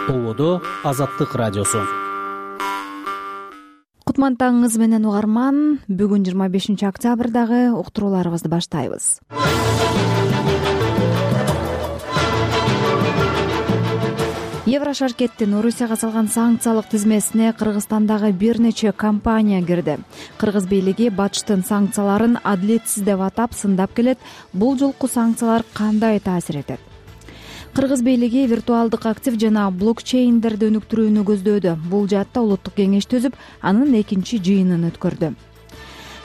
Ободо Азаттык радиосу. Кутмандтарыңыз менен угарман. Бүгүн 25 октябрдагы уктурууларыбызды баштайбыз. Еврошаркеттин Орусияга салган санкциялык тизмесине Кыргызстандагы бир нече компания кирди. Кыргыз бийлиги Батыштын санкцияларын адилетсиз деп атап сындап келет. Бул жолку санкциялар кандай таасир этет? Кыргыз бийлиги виртуалдык актив жана блокчейндерди өнүктүрүүнү көздөөдө. Бул жаатта улуттук кеңеш түзүп, анын экинчи жыйынын өткөрдү.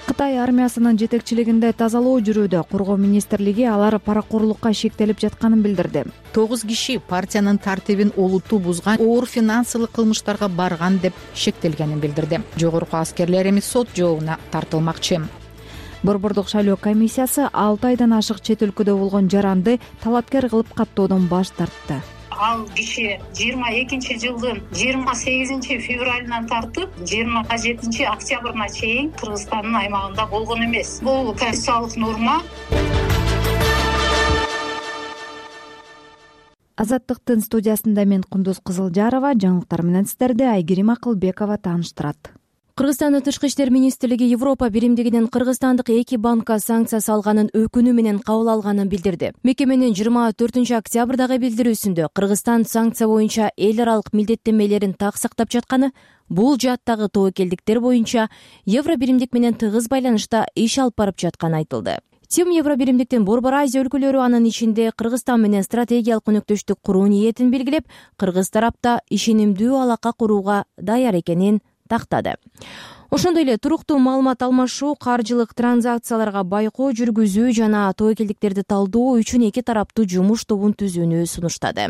Кытай армиясынын жетекчилигинде тазалоо жүрүүдө. Коргоо министрлиги алар паракорлукка шектелип жатканын билдирди. 9 киши партиянын тартибин олуттуу бузган, оор финансылык кылмыштарга барган деп шектелгенин билдирди. Жогорку аскерлер эми сот жообуна тартылмакчы. Борбордук шайлоо комиссиясы 6 айдан ашык чет өлкөдө болгон жаранды талапкер кылып каттоодон баш тартты. Ал киши 22-жылдын 28 февралынан тартып 27 октябрына чейин Кыргызстандын аймагында болгон эмес. Бул конституциялык норма. Азаттыктын студиясында мен Кундуз Кызылжарова, жаңылыктар менен сиздерди Айгерим Акылбекова тааныштырат. Кыргызстандын Тышкы иштер министрлиги Европа биримдигинин кыргызстандык 2 банкка санкция салганын өкүнүү менен кабыл алганын билдирди. Мекеменин 24 октябрдагы билдирүүсүндө Кыргызстан санкция боюнча эл аралык милдеттенмелерин так сактап жатканы, бул жааттагы тобокелдиктер боюнча Евро биримдик менен тыгыз байланышта иш алып барып жатканы айтылды. Тим Евро биримдиктин Борбор Азия өлкөлөрү, анын ичинде Кыргызстан менен стратегиялык өнөктөштүк куруу ниетин белгилеп, кыргыз тарапта ишенимдүү алака курууга даяр экенин тактады. Ошондой эле туруктуу маалымат алмашуу, каржылык транзакцияларга байкоо жүргүзүү жана тобокелдиктерди талдоо үчүн 2 тараптуу жумуш тобун түзүүнү сунуштады.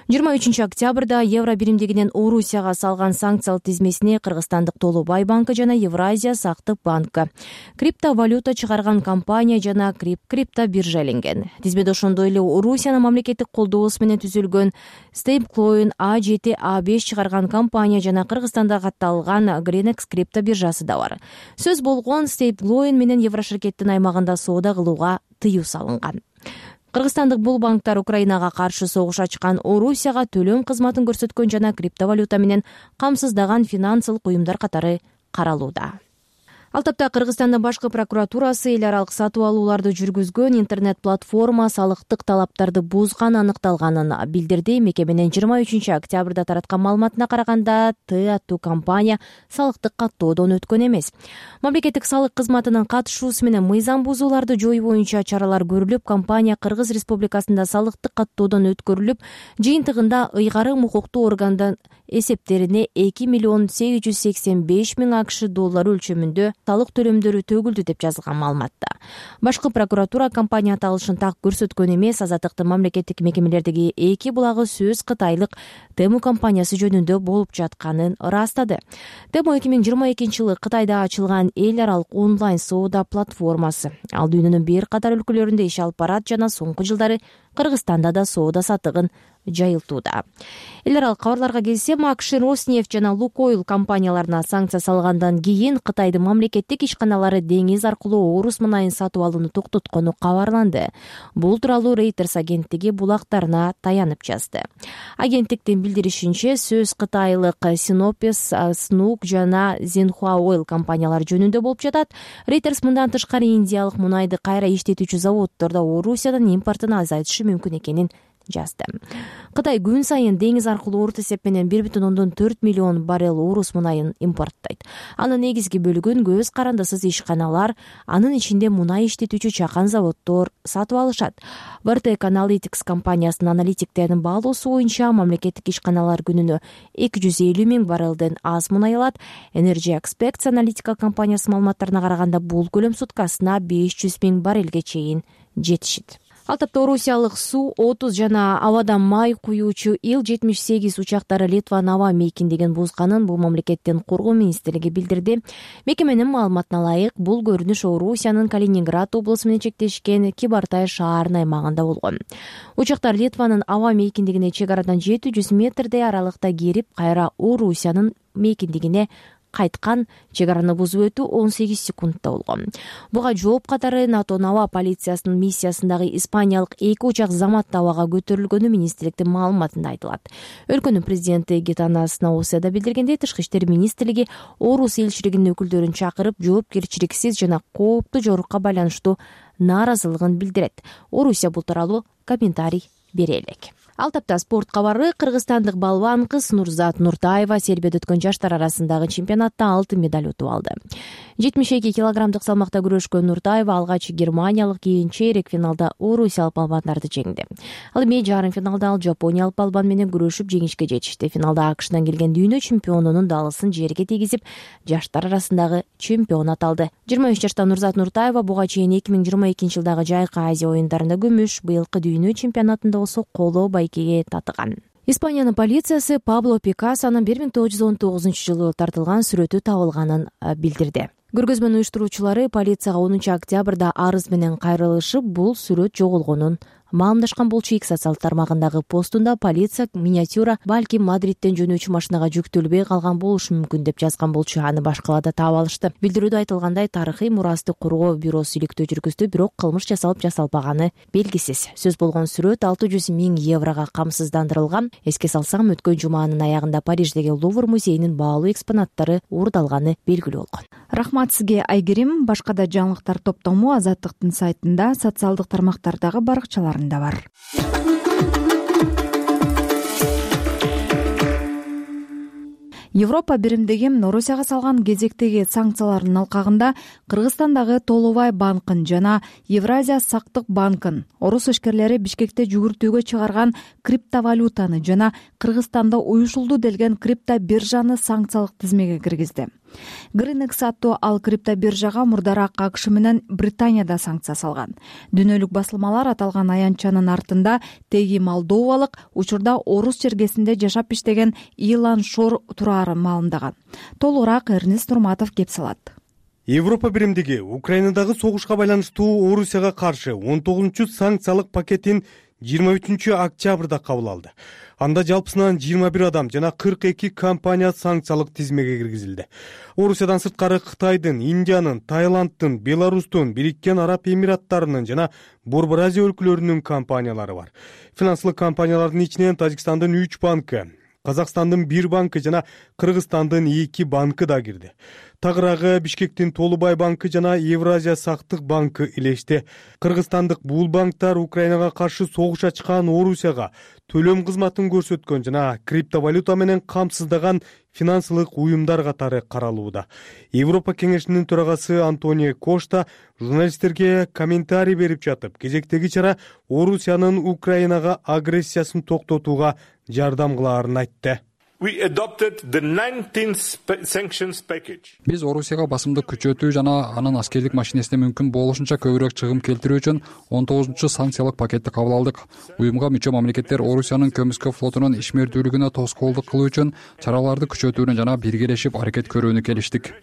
23 октябрда Евро биримдигинин Орусияга салган санкциялык тизмесине Кыргызстандык Толубай банкы жана Евразия сактык банкы, криптовалюта чыгарган компания жана крипто биржа иленген. Тизмеде ошондой эле Орусиянын мамлекеттик колдоосу менен түзүлгөн Stablecoin A7, A5 чыгарган компания жана Кыргызстанда катталган Grenex крипто биржасы да бар. Сөз болгон Stablecoin менен Еврошаркеттин аймагында соода кылууга тыюу салынган. Кыргызстандык бул банктар Украинага каршы согуш ачкан, Орусияга төлөм кызматын көрсөткөн жана криптовалюта менен камсыздаган финансылык уюмдар катары каралууда. Ал тапта Кыргызстандын башкы прокуратурасы эл аралык сатып алууларды жүргүзгөн интернет-платформа салыктык талаптарды бузган аныкталганын билдирди. Мекеменин 23 октябрда тараткан маалыматына караганда, Т аттуу компания салыктык каттоодон өткөн эмес. Мамлекеттик салык кызматынын катышуусу менен мыйзам бузууларды жоюу боюнча чаралар көрүлүп, компания Кыргыз Республикасында салыктык каттоодон өткөрүлүп, жыйынтыгында ыйгарым укуктуу органдын эсептерине 2 миллион 885 миң АКШ доллары өлчөмүндө салык төлөмдөрү төгүлдү деп жазылган маалыматта. Башкы прокуратура компания аталышын так көрсөткөн эмес. Азаттыктын мамлекеттик мекемелердеги 2 булагы сөз Кытайлык Тему компаниясы жөнүндө болуп жатканын ырастады. Тему 2022 жылы Кытайда ачылган эл аралык онлайн соода платформасы. Ал дүйнөнүн бир катар өлкөлөрүндө иш алып барат жана соңку жылдары Кыргызстанда да соода саттыгын жайылтууда. Эл аралык кабарларга келсем, АКШ Роснефть жана Лукойл компанияларына санкция салгандан кийин Кытайдын мамлекеттик ишканалары деңиз аркылуу орус мунайын сатып алууну токтоткону кабарланды. Бул тууралуу Reuters агенттиги булактарына таянып жазды. Агенттиктин билдиришинче, сөз кытайлык Sinopec, Snook жана Zenhua Oil компаниялары жөнүндө болуп жатат. Reuters мындан тышкары индиялык мунайды кайра иштетүүчү заводдордо Орусиядан импортун азайтышы мүмкүн экенин жазды. Кытай күн сайын деңиз аркылуу орто эсеп менен 1,4 миллион баррел орус мунайын импорттойт. Анын негизги бөлүгүн көз карандысыз ишканалар, анын ичинде мунай иштетүүчү чакан заводдор сатып алышат. Vertex Analytics компаниясынын аналитиктеринин баалоосу боюнча, мамлекеттик ишканалар күнүнө 250 миң баррелден аз мунай алат. Energy Experts аналитика компаниясынын маалыматтарына караганда, бул көлөм суткасына 500 миң баррелге чейин жетишет. Ал тапта орусиялык Су-30 жана абадан май куюучу Ил-78 учактары Литванын аба мейкиндигин бузганын бул мамлекеттин коргоо министрлиги билдирди. Мекеменин маалыматына ылайык, бул көрүнүш Орусиянын Калининград облусу менен чектешкен Кибартай шаарынын аймагында болгон. Учактар Литванын аба мейкиндигине чек арадан 700 метрдей аралыкта кирип, кайра Орусиянын мейкиндигине кайткан, чек араны бузуп өтүү 18 секундта болгон. Буга жооп катары НАТОнун аба полициясынын миссиясындагы испаниялык 2 учак заматта абага көтөрүлгөнү министрликтин маалыматында айтылат. Өлкөнүн президенти Гитанас Науседа билдиргендей, Тышкы иштер министрлиги Орус элчилигинин өкүлдөрүн чакырып, жоопкерчиликсиз жана кооптуу жорукка байланыштуу нааразылыгын билдирет. Орусия бул тууралуу комментарий бере элек. Ал тапта спорт кабары. Кыргызстандык балбан кыз Нурзат Нуртаева Сербияда өткөн жаштар арасындагы чемпионатта алтын медаль утуп алды. 72 килограммдык салмакта күрөшкөн Нуртаева алгач германиялык, кийин чейрек финалда орусиялык балбандарды жеңди. Ал эми жарым финалда ал жапониялык балбан менен күрөшүп жеңишке жетишти. Финалда АКШдан келген дүйнө чемпионунун даалысын жерге тийгизип, жаштар арасындагы чемпион аталды. 23 жаштагы Нурзат Нуртаева буга чейин 2022 жылдагы Жайкы Азия оюндарында күмүш, быйылкы дүйнө чемпионатында болсо коло байкеге татыган. Испаниянын полициясы Пабло Пикассонун 1919 жылы тартылган сүрөтү табылганын билдирди. Көргөзмөнүн уюштуруучулары полицияга 10 октябрда арыз менен кайрылышып, бул сүрөт жоголгонун маамдашкан болчу. X социалдык тармагындагы постунда полиция миниатюра балким Мадридтен жөнөөчү машинага жүктөлбөй калган болушу мүмкүн деп жазган болчу. Аны башкаларда таап алышты. Билдирүүдө айтылгандай, тарыхый мурасты коргоо бюросу иликтөө жүргүздү, бирок кылмыш жасалып жасалбаганы белгисиз. Сөз болгон сүрөт 600 000 еврого камсыздандырылган. Эске салсам, өткөн жуманын аягында Париждеги Лувр музейинин баалуу экспонаттары уурдалганы белгилүү болгон. Рахмат сизге, Айгерим. Башка да жаңылыктар топтому Азаттыктын сайтында, социалдык тармактардагы баракчаларында бар. Европа биримдиги Орусияга салган кезектеги санкциялардын алкагында Кыргызстандагы Толубай банкын жана Евразия сактык банкын, орус ишкерлери Бишкекте жүгүртүүгө чыгарган криптовалютаны жана Кыргызстанда уюшулду делген криптобиржаны санкциялык тизмеге киргизди. Гринекс аттуу ал криптобиржага мурдараак АКШ менен Британияда санкция салган. Дүйнөлүк басылмалар аталган аянтчанын артында теги молдовалык, учурда орус чергесинде жашап иштеген Илан Шор тураарын маалымдаган. Толугураак Эрнест Нурматов кеп салат. Европа биримдиги Украинадагы согушка байланыштуу Орусияга каршы 19-чу санкциялык пакетин 23 октябрда кабыл алды. Анда жалпысынан 21 адам жана 42 компания санкциялык тизмеге киргизилди. Орусиядан сырткары Кытайдын, Индиянын, Таиландтын, Беларустун, Бириккен Араб Эмираттарынын жана Борбор Азия өлкөлөрүнүн компаниялары бар. Финансылык компаниялардын ичинен Тажикстандын 3 банкы, Казакстандын 1 банкы жана Кыргызстандын 2 банкы да кирди. Тагыраагы Бишкектин Толубай банкы жана Евразия сактык банкы илешти. Кыргызстандык бул банктар Украинага каршы согуш ачкан Орусияга төлөм кызматын көрсөткөн жана криптовалюта менен камсыздаган финансылык уюмдар катары каралууда. Европа кеңешинин төрагасы Антонио Кошта журналисттерге комментарий берип жатып, кезектеги чара Орусиянын Украинага агрессиясын токтотууга жардам кылаарын айтты. Биз Орусияга басымды күчөтүү жана анын аскерлик машинесине мүмкүн болушунча көбүрөөк чыгым келтирүү үчүн 19-чу санкциялык пакетти кабыл алдык. Уюмга мүчө мамлекеттер Орусиянын көмүскө флотунун ишмердүүлүгүнө тоскоолдук кылуу үчүн чараларды күчөтүүнү жана биргелешип аракет көрүүнү келиштик.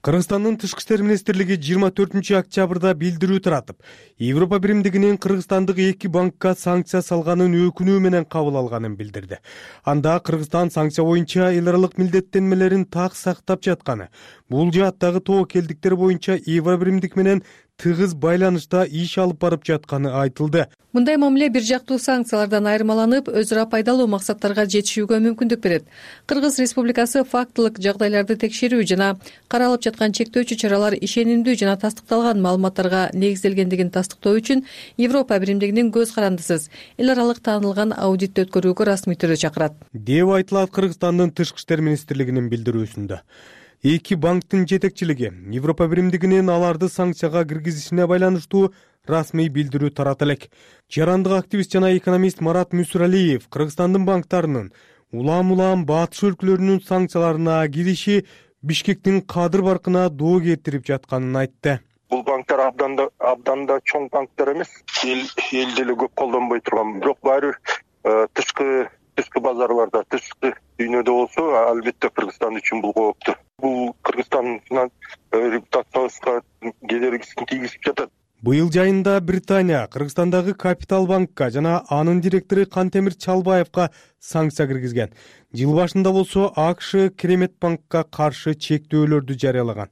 Кыргызстандын Тышкы иштер министрлиги 24 октябрда билдирүү таратып, Европа биримдигинин кыргызстандык 2 банкка санкция салганын өкүнүү менен кабыл алганын билдирди. Анда Кыргызстан санкция боюнча эл аралык милдеттенмелерин так сактап жатканы, бул жааттагы тобокелдиктер боюнча Европа биримдик менен тыгыз байланышта иш алып барып жатканы айтылды. Мындай мамиле бир жактуу санкциялардан айырмаланып, өз ара пайдалуу максаттарга жетишүүгө мүмкүндүк берет. Кыргыз Республикасы фактылык жагдайларды текшерүү жана каралып жаткан чектөөчү чаралар ишенимдүү жана тастыкталган маалыматтарга негизделгендигин тастыктоо үчүн Европа биримдигинин көз карандысыз эл аралык таанылган аудитти өткөрүүгө расмий түрдө чакырат, деп айтылат Кыргызстандын Тышкы иштер министрлигинин билдирүүсүндө. 2 банктын жетекчилиги Европа биримдигинин аларды санкцияга киргизишине байланыштуу расмий билдирүү тарата элек. Жарандык активист жана экономист Марат Мүсүралиев Кыргызстандын банктарынын улам батыш өлкөлөрүнүн санкцияларына кириши Бишкектин кадыр баркына доо кетирип жатканын айтты. Бул банктар абдан да чоң банктар эмес, эл деле көп колдонбой турган, бирок баары тышкы базарларда, тышкы дүйнөдө болсо, албетте Кыргызстан үчүн бул кооптуу. Бул Кыргызстандын репутациясына кедергисин тийгизип жатат. Быйыл жайында Британия Кыргызстандагы Капитал банкка жана анын директору Кантемир Чалбаевка санкция киргизген. Жыл башында болсо АКШ Керемет банкка каршы чектөөлөрдү жарыялаган.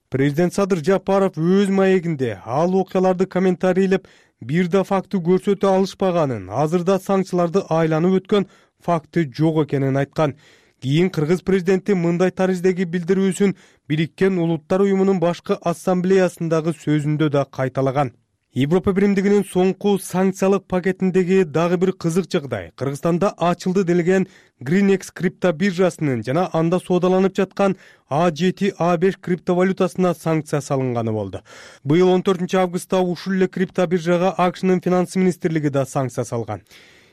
Президент Садыр Жапаров өз маегинде ал окуяларды комментарийлеп, бир да факты көрсөтө алышпаганын, азырда санкцияларды айланып өткөн факты жок экенин айткан. Кийин кыргыз президенти мындай тариздеги билдирүүсүн Бириккен Улуттар уюмунун башкы ассамблеясындагы сөзүндө да кайталаган. Европа биримдигинин соңку санкциялык пакетиндеги дагы бир кызык жагдай Кыргызстанда ачылды делген Greenex крипто биржасынын жана анда соодаланып жаткан A7, A5 криптовалютасына санкция салынганы болду. Быйыл 14-августта ушул эле крипто биржага АКШнын финанс министрлиги да санкция салган.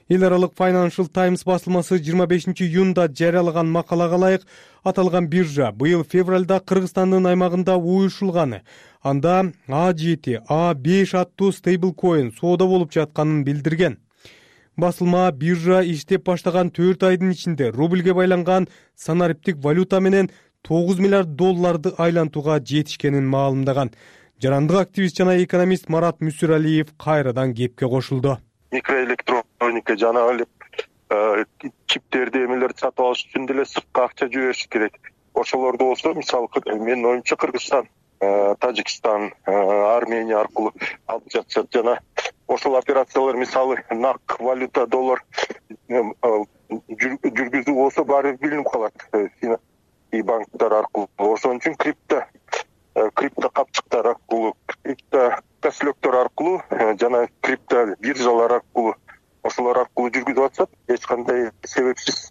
Эл аралык Financial Times басылмасы 25-июнда жарыялаган макалага ылайык, аталган биржа быйыл февралда Кыргызстандын аймагында уюшулганы, анда A7, A5 аттуу стейблкоин соода болуп жатканын билдирген. Басылма биржа иштеп баштаган 4 айдын ичинде рубльге байланган санариптик валюта менен $9 миллиард айлантууга жетишкенин маалымдаган. Жарандык активист жана экономист Марат Мүсүралиев кайрадан кепке кошулду. Микроэлектроника жана эле чиптерди эмелерди сатып алыш үчүн деле сыртка акча жибериш керек. Ошолорду болсо, мисалы менин оюмча Кыргызстан, Тажикстан, Армения аркылуу алып жатышат жана ошол операциялар мисалы нак валюта доллар жүргүзүү болсо баары билинип калат и банктар аркылуу. Ошон үчүн крипто капчыктар аркылуу, крипто кошелектер аркылуу жана крипто биржалар аркылуу ошолор аркылуу жүргүзүп атышат. Эч кандай себепсиз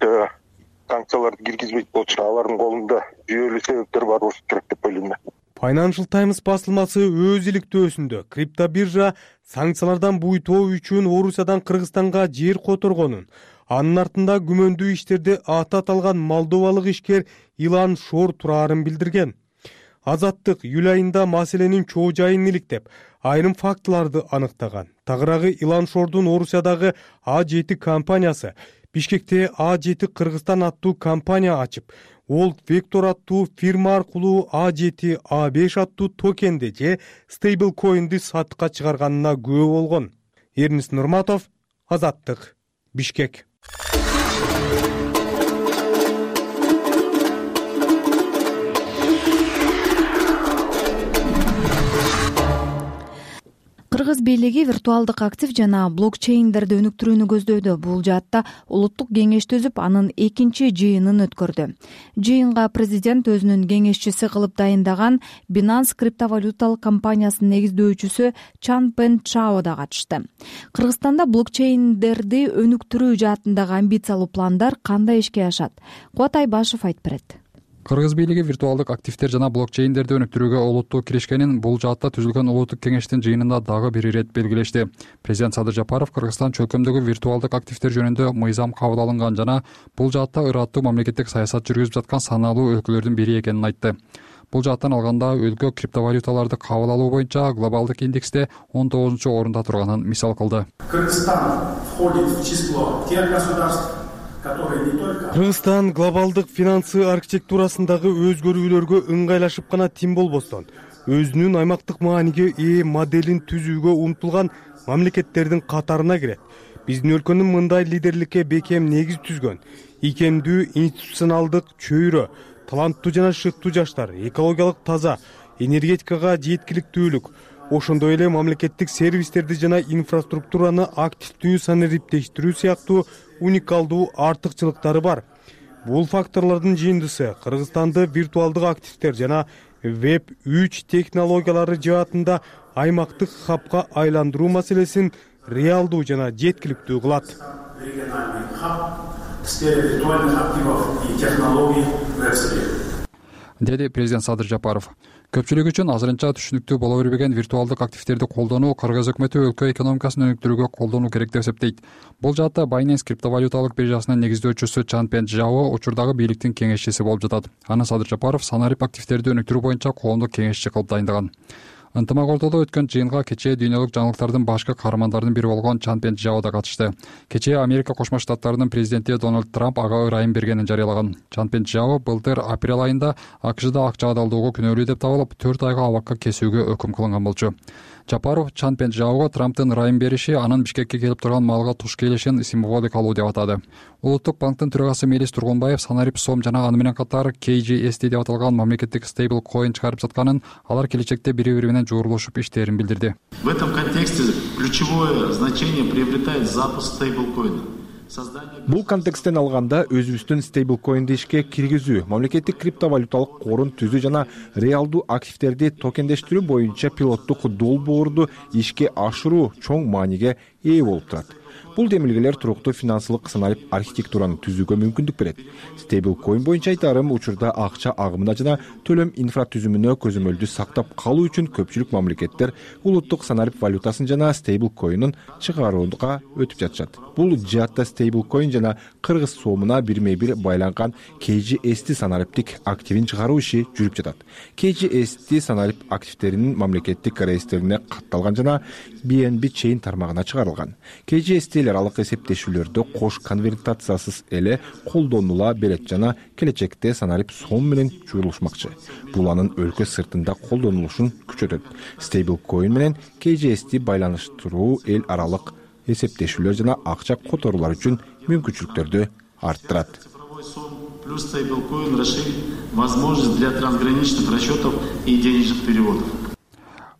санкцияларды киргизбейт болчу. Алардын колунда жүйөлүү себептер бар болушу керек деп ойлойм. Financial Times басылмасы өз иликтөөсүндө крипто биржа санкциялардан буйтоо үчүн Орусиядан Кыргызстанга жер которгонун, анын артында күмөндүү иштерде аты аталган молдовалык ишкер Илан Шор турарын билдирген. Азаттык июль айында маселенин чоо жайын иликтеп, айрым фактыларды аныктаган. Тагыраагы Илан Шордун Орусиядагы A7 компаниясы Бишкекте A7 Кыргызстан аттуу компания ачып, Old Vector аттуу фирма аркылуу A7, A5 аттуу токенди же стейблкоинди сатыкка чыгарганына күбө болгон. Эрнис Нурматов, Азаттык, Бишкек. Кыргыз бийлиги виртуалдык актив жана блокчейндерди өнүктүрүүнү көздөйдө. Бул жаатта улуттук кеңеш түзүп, анын 2-чи жыйынын өткөрдү. Жыйынга президент өзүнүн кеңешчиси кылып дайындаган Binance криптовалюталык компаниясынын негиздөөчүсү Чан Пен Чао да катышты. Кыргызстанда блокчейндерди өнүктүрүү жаатындагы амбициялуу пландар кандай ишке ашат? Кубат Айбашев айтып берет. Кыргыз бийлиги виртуалдык активдер жана блокчейндерди өнүктүрүүгө олуттуу киришкенин бул жаатта түзүлгөн улуттук кеңештин жыйынында дагы бир ирет белгилешти. Президент Садыр Жапаров Кыргызстан чөлкөмдөгү виртуалдык активдер жөнүндө мыйзам кабыл алынган жана бул жаатта ыраттуу мамлекеттик саясат жүргүзүп жаткан саналуу өлкөлөрдүн бири экенин айтты. Бул жааттан алганда өлкө криптовалюталарды кабыл алуу боюнча глобалдык индексте 19-орунда турганын мисал кылды. Кыргызстан входит в число тех государств, Кыргызстан глобалдык финансы архитектурасындагы өзгөрүүлөргө ыңгайлашып гана тим болбостон, өзүнүн аймактык мааниге ээ моделин түзүүгө умтулган мамлекеттердин катарына кирет. Биздин өлкөнүн мындай лидерликке бекем негиз түзгөн, ийкемдүү институционалдык чөйрө, таланттуу жана шыктуу жаштар, экологиялык таза, энергетикага жеткиликтүүлүк, ошондой эле мамлекеттик сервистерди жана инфраструктураны активдүү санариптештирүү сыяктуу уникалдуу артыкчылыктары бар. Бул факторлордун жыйындысы Кыргызстанды виртуалдык активдер жана Web 3 технологиялары жаатында аймактык хабка айландыруу маселесин реалдуу жана жеткиликтүү кылат. Деди президент Садыр Жапаров. Көпчүлүк үчүн азырынча түшүнүктүү боло бербеген виртуалдык активдерди колдонуу Кыргыз өкмөтү өлкө экономикасын өнүктүрүүгө колдонуу керек деп эсептейт. Бул жаатта Binance криптовалюталык биржасынын негиздөөчүсү Чан Пен Чао учурдагы бийликтин кеңешчиси болуп жатат. Аны Садыр Жапаров санарип активдерди өнүктүрүү боюнча коомдук кеңешчи кылып дайындаган. Ынтымак ортодо өткөн жыйынга кечээ дүйнөлүк жаңылыктардын башкы каармандарынын бири болгон Чан Пен Чао да катышты. Кечээ Америка Кошмо Штаттарынын президенти Дональд Трамп ага ырайым бергенин жарыялаган. Чан Пен Чао былтыр апрель айында АКШда акча адалдоого күнөөлүү деп табылып, 4 айга абакка кесүүгө өкүм кылынган болчу. Жапаров Чан Пенжаого Трамптын ырайым бериши анын Бишкекке келип турган малга туш келишин символдук алуу деп атады. Улуттук банктын төрагасы Мелис Тургунбаев Санарип сом жана аны менен катар KGST деп аталган мамлекеттик стейбл коин чыгарып жатканын, алар келечекте бири-бири менен жуурулушуп иштерин билдирди. В этом контексте ключевое значение приобретает запуск стейблкоина. Бул контексттен алганда өзүбүздүн стейблкоинди ишке киргизүү, мамлекеттик криптовалюталык корун түзүү жана реалдуу активдерди токендештирүү боюнча пилоттук долбоорду ишке ашыруу чоң мааниге ээ болуп турат. Бул демилгелер туруктуу финансылык санарип архитектураны түзүүгө мүмкүндүк берет. Стейблкоин боюнча айтарым, учурда акча агымына жана төлөм инфратүзүмүнө көзөмөлдү сактап калуу үчүн көпчүлүк мамлекеттер улуттук санарип валютасын жана стейблкоинин чыгарууга өтүп жатышат. Бул жаатта стейблкоин жана кыргыз сомуна бирме-бир байланган KGST санариптик активин чыгаруу иши жүрүп жатат. KGST санарип активдеринин мамлекеттик реестрине катталган жана BNB Chain тармагына чыгарылган. KGST аралык эсептешүүлөрдө кош конвертациясыз эле колдонула берет жана келечекте санарип сом менен жуурулушмакчы. Бул анын өлкө сыртында колдонулушун күчөтөт. Стейблкоин менен KGST байланыштыруу эл аралык эсептешүүлөр жана акча которуулар үчүн мүмкүнчүлүктөрдү арттырат. Плюс стейблкоин расширит возможность для трансграничных расчетов и денежных переводов.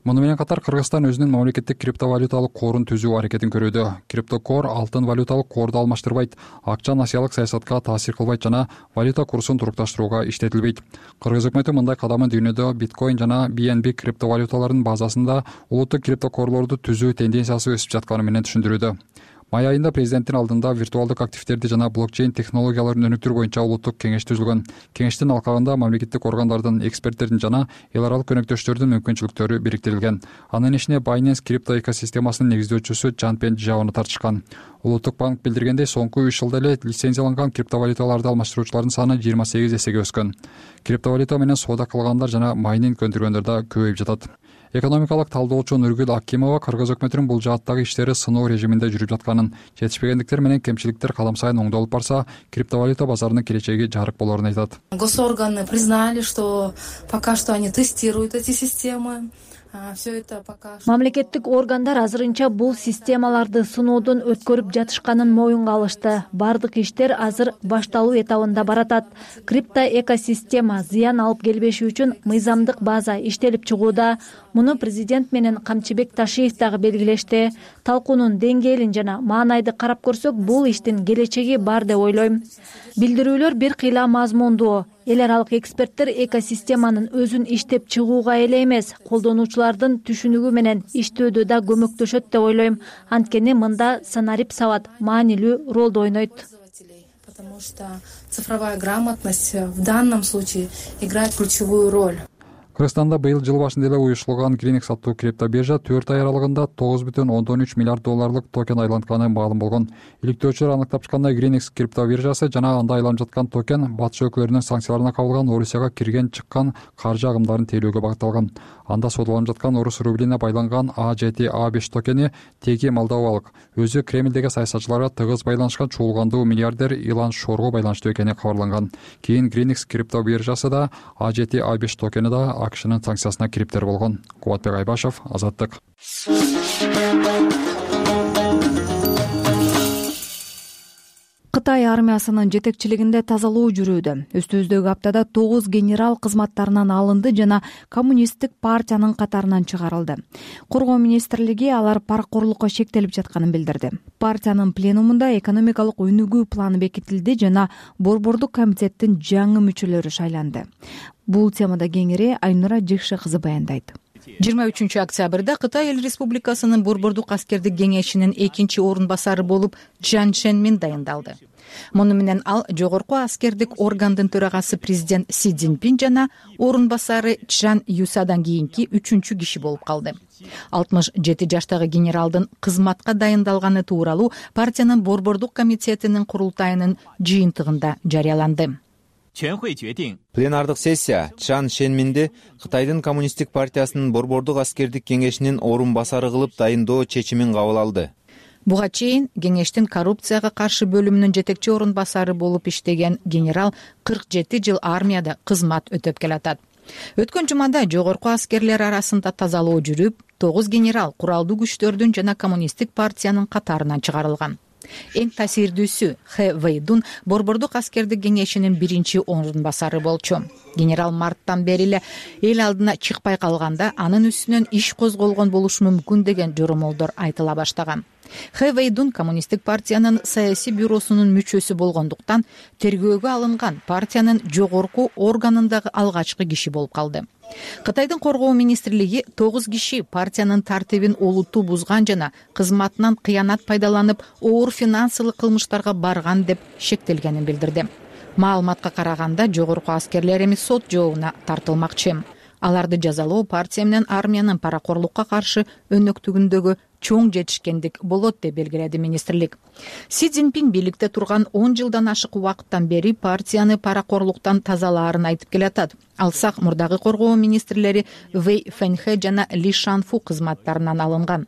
Муну менен катар Кыргызстан өзүнүн мамлекеттик криптовалюталык корун түзүү аракетин көрүүдө. Криптокор алтын валюталык корду алмаштырбайт, акча насыялык саясатка таасир кылбайт жана валюта курсун турукташтырууга иштетилбейт. Кыргыз өкмөтү мындай кадамын дүйнөдө биткоин жана BNB криптовалюталарынын базасында улуттук криптокорлорду түзүү тенденциясы өсүп жатканы менен түшүндүрүүдө. Май айында президенттин алдында виртуалдык активдерди жана блокчейн технологияларын өнүктүрүү боюнча улуттук кеңеш түзүлгөн. Кеңештин алкагында мамлекеттик органдардын, эксперттердин жана эл аралык өнөктөштөрдүн мүмкүнчүлүктөрү бириктирилген. Анын ишине Binance крипто экосистемасынын негиздөөчүсү Чан Пенжаону тартышкан. Улуттук банк билдиргендей, соңку 3 жылда эле лицензияланган криптовалюталарды алмаштыруучулардын саны 28 эсеге өскөн. Криптовалюта менен соода кылгандар жана майнинг өндүргөндөр да көбөйүп жатат. Экономикалык талдоочу Нургүл Акимова Кыргыз өкмөтүнүн бул жааттагы иштери сыноо режиминде жүрүп жатканын, жетишпегендиктер менен кемчиликтер кадам сайын оңдолуп барса, криптовалюта базарынын келечеги жарык болорун айтат. Госорганы признали, что пока что они тестируют эти системы. Мамлекеттик органдар азырынча бул системаларды сыноодон өткөрүп жатышканын моюнга алышты. Бардык иштер азыр башталуу этабында баратат. Крипто экосистема зыян алып келбеши үчүн мыйзамдык база иштелип чыгууда. Муну президент менен Камчыбек Ташиев дагы белгилешти. Талкуунун деңгээлин жана маанайды карап көрсөк, бул иштин келечеги бар деп ойлойм. Билдирүүлөр бир кыйла мазмундуу. Эл аралык эксперттер экосистеманын өзүн иштеп чыгууга эле эмес, колдонуучулардын түшүнүгү менен иштөөдө да көмөктөшөт деп ойлойм. Анткени мында санарип сабат маанилүү ролду ойнойт. Потому что цифровая грамотность в данном случае играет ключевую роль. Кыргызстанда быйыл жыл башында эле уюштурулган Greenix аттуу криптобиржа 4 ай аралыгында 9,3 миллиард долларлык токен айлантканы маалым болгон. Иликтөөчүлөр аныктап чыккандай, Greenix криптобиржасы жана анда айланып жаткан токен батыш өлкөлөрүнүн санкцияларына кабылган Орусияга кирген чыккан каржы агымдарын тейлөөгө багытталган. Анда сотуланып жаткан орус рублине байланган A7 A5 токени теги молдовалык. Өзү Кремлдеги саясатчыларга тыгыз байланышкан чуулгандуу миллиардер Илан Шорго байланыштуу экени кабарланган. Кийин Greenix криптобиржасы да A7 A5 токени да АКШнын санкциясына кириптер болгон. Кубатбек Айбашев, Азаттык. Кытай армиясынын жетекчилигинде тазалоо жүрүүдө. Үстүбүздөгү аптада 9 генерал кызматтарынан алынды жана коммунисттик партиянын катарынан чыгарылды. Коргоо министрлиги алар паракорлукка шектелип жатканын билдирди. Партиянын пленумунда экономикалык өнүгүү планы бекитилди жана борбордук комитеттин жаңы мүчөлөрү шайланды. Бул темада кеңири Айнура Жекше кызы баяндайт. 23 октябрда Кытай Эл Республикасынын борбордук аскердик кеңешинин 2 орун басары болуп Чжан Чжэнмин дайындалды. Муну менен ал жогорку аскердик органдын төрагасы президент Си Цзиньпин жана орун басары Чжан Юсадан кийинки 3 киши болуп калды. 67 жаштагы генералдын кызматка дайындалганы тууралуу партиянын борбордук комитетинин курултайынын жыйынтыгында жарыяланды. Пленардык сессия Чжан Чжэнминди Кытайдын коммунисттик партиясынын борбордук аскердик кеңешинин орун басары кылып дайындоо чечимин кабыл алды. Буга чейин кеңештин коррупцияга каршы бөлүмүнүн жетекчи орун басары болуп иштеген генерал 47 жыл армияда кызмат өтөп келатат. Өткөн жумада жогорку аскерлер арасында тазалоо жүрүп, 9 генерал куралдуу күчтөрдүн жана коммунисттик партиянын катарынан чыгарылган. Эң таасирдүүсү Хэ Вэйдун Борбордук аскердик кеңешинин 1-орун басары болчу. Генерал марттан бери эле эл алдына чыкпай калганда анын үстүнөн иш козголгон болушу мүмкүн деген жоромолдор айтыла баштаган. Хэ Вэйдун коммунисттик партиянын саясий бюросунун мүчөсү болгондуктан тергөөгө алынган партиянын жогорку органындагы алгачкы киши болуп калды. Кытайдын коргоо министрлиги 9 киши партиянын тартибин олуттуу бузган жана кызматынан кыянат пайдаланып, оор финансылык кылмыштарга барган деп шектелгенин билдирди. Маалыматка караганда жогорку аскерлер эми сот жообуна тартылмакчы. Аларды жазалоо партия менен армиянын паракорлукка каршы өнөктүгүндөгү чоң жетишкендик болот деп белгиледи министрлик. Си Цзиньпин бийликте турган 10 жылдан ашык убакыттан бери партияны паракорлуктан тазалаарын айтып келатат. Алсак мурдагы коргоо министрлери Вэй Фэнхэ жана Ли Шанфу кызматтарынан алынган.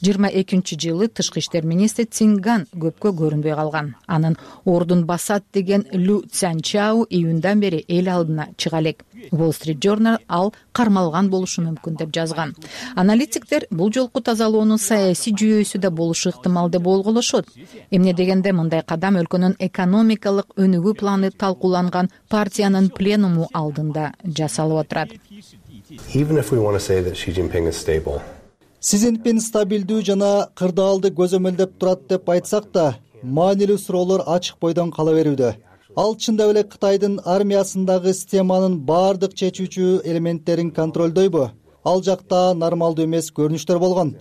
22-жылы тышкы иштер министри Цинган көпкө көрүнбөй калган. Анын ордун басат деген Лю Цзянчао июндан бери эл алдына чыга элек. Wall Street Journal ал кармалган болушу мүмкүн деп жазган. Аналитиктер бул жолку тазалоонун саясий жүйөсү да болушу ыктымал деп болголошот. Эмне дегенде мындай кадам өлкөнүн экономикалык өнүгүү планы талкууланган партиянын пленуму алдында жасалып отурат. Си Цзиньпин стабилдүү жана кырдаалды көзөмөлдөп турат деп айтсак да, маанилүү суроолор ачык бойдон кала берүүдө. Ал чындап эле Кытайдын армиясындагы системанын баардык чечүүчү элементтерин контролдойбу? Ал жакта нормалдуу эмес көрүнүштөр болгон.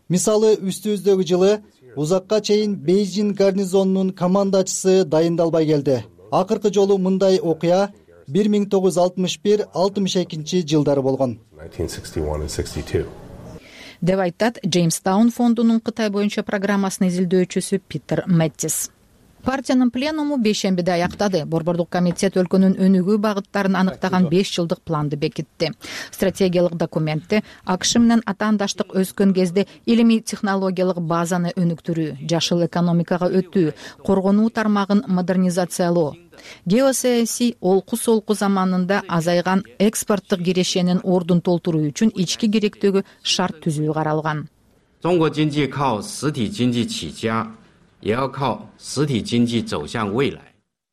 Мисалы, үстүбүздөгү жылы узакка чейин Бейжин гарнизонунун командачысы дайындалбай келди. Акыркы жолу мындай окуя 1961-62 жылдары болгон. Деп айтат Джеймстаун фондунун Кытай боюнча программасынын изилдөөчүсү Питер Мэттис. Партиянын пленуму бейшембиде аяктады. Борбордук комитет өлкөнүн өнүгүү багыттарын аныктаган 5 жылдык планды бекитти. Стратегиялык документте АКШ менен атаандаштык өскөн кезде илимий технологиялык базаны өнүктүрүү, жашыл экономикага өтүү, коргонуу тармагын модернизациялоо, геосаясий олку-солку заманында азайган экспорттук кирешенин ордун толтуруу үчүн ички керектөөгө шарт түзүү каралган.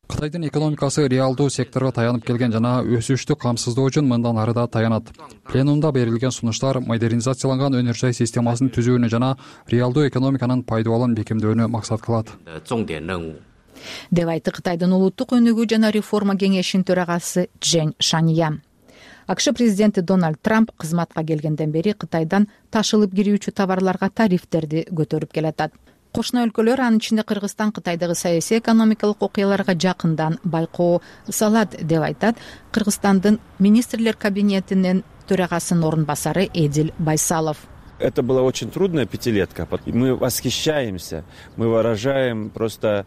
Кытайдын экономикасы реалдуу секторго таянып келген жана өсүштү камсыздоо үчүн мындан ары да таянат. Пленумда берилген сунуштар модернизацияланган өнөр жай системасын түзүүнү жана реалдуу экономиканын пайдубалын бекемдөөнү максат кылат. Деп айтты Кытайдын улуттук өнүгүү жана реформа кеңешинин төрагасы Чжэн Шаньян. АКШ президенти Дональд Трамп кызматка келгенден бери Кытайдан ташылып кирүүчү товарларга тарифтерди көтөрүп келатат. Кошуна өлкөлөр, анын ичинде Кыргызстан, Кытайдагы саясий экономикалык окуяларга жакындан байкоо салат деп айтат Кыргызстандын министрлер кабинетинин төрагасынын орун басары Эдил Байсалов. Это была очень трудная пятилетка. Мы восхищаемся, мы выражаем просто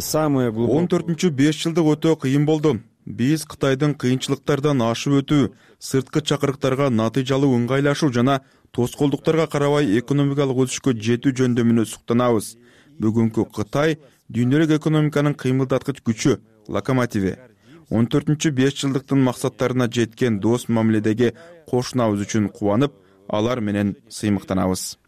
самые глубокие... 14-5 жылдык өтө кыйын болду. Биз Кытайдын кыйынчылыктардан ашып өтүү, сырткы чакырыктарга натыйжалуу ыңгайлашуу жана тоскоолдуктарга карабай экономикалык өсүшкө жетүү жөндөмүнө суктанабыз. Бүгүнкү Кытай дүйнөлүк экономиканын кыймылдаткыч күчү, локомотиви. 14-5 жылдыктын максаттарына жеткен дос мамиледеги кошунабыз үчүн кубанып, алар менен сыймыктанабыз.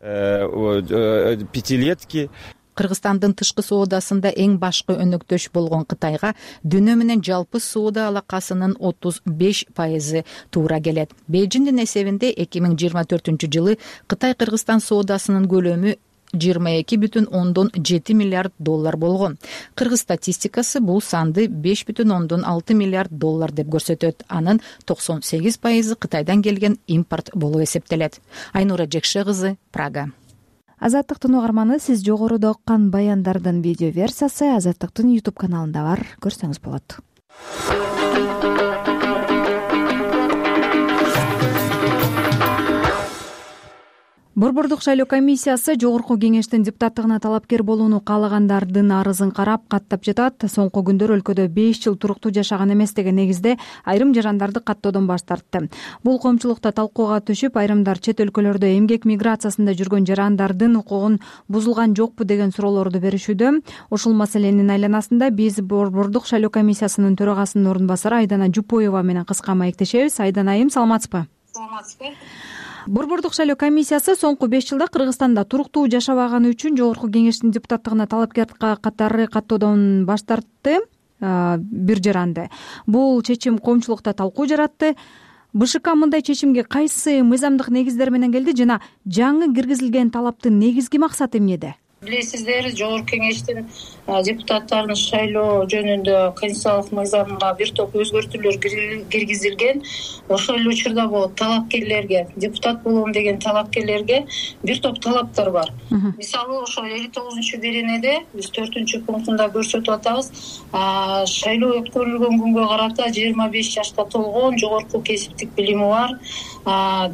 Пятилетки. Кыргызстандын тышкы соодасында эң башкы өнөктөш болгон Кытайга дүйнө менен жалпы соода алакасынын 35% туура келет. Бейжиндин эсебинде 2024-жылы Кытай-Кыргызстан соодасынын көлөмү 22,7 миллиард доллар болгон. Кыргыз статистикасы бул санды 5,6 миллиард доллар деп көрсөтөт. Анын 98% Кытайдан келген импорт болуп эсептелет. Айнура Жекше кызы, Прага. Азаттыктын угарманы, сиз жогоруда уккан баяндардын видео версиясы Азаттыктын YouTube каналында бар, көрсөңүз болот. Борбордук шайлоо комиссиясы жогорку кеңештин депутаттыгына талапкер болууну каалагандардын арызын карап каттап жатат. Соңку күндөр өлкөдө 5 жыл туруктуу жашаган эмес деген негизде айрым жарандарды каттоодон баш тартты. Бул коомчулукта талкууга түшүп, айрымдар чет өлкөлөрдө эмгек миграциясында жүргөн жарандардын укугун бузулган жокпу деген суроолорду беришүүдө. Ушул маселенин айланасында биз Борбордук шайлоо комиссиясынын төрагасынын орун басары Айдана Жупоева менен кыска маектешебиз. Айдана айым, саламатсызбы? Саламатсызбы. Борбордук шайлоо комиссиясы соңку 5 жылда Кыргызстанда туруктуу жашабаганы үчүн жогорку кеңештин депутаттыгына талапкер катары каттоодон баш тартты бир жаранды. Бул чечим коомчулукта талкуу жаратты. БШК мындай чечимге кайсы мыйзамдык негиздер менен келди жана жаңы киргизилген талаптын негизги максаты эмнеде? Билесиздер, жогорку кеңештин депутаттарын шайлоо жөнүндө конституциялык мыйзамга бир топ өзгөртүүлөр киргизилген. Ошол эле учурда бул талапкерлерге, депутат болом деген талапкерлерге бир топ талаптар бар. Мисалы, ошол 59-беренеде биз 4-пунктунда көрсөтүп атабыз. Шайлоо өткөрүлгөн күнгө карата 25 жашка толгон, жогорку кесиптик билими бар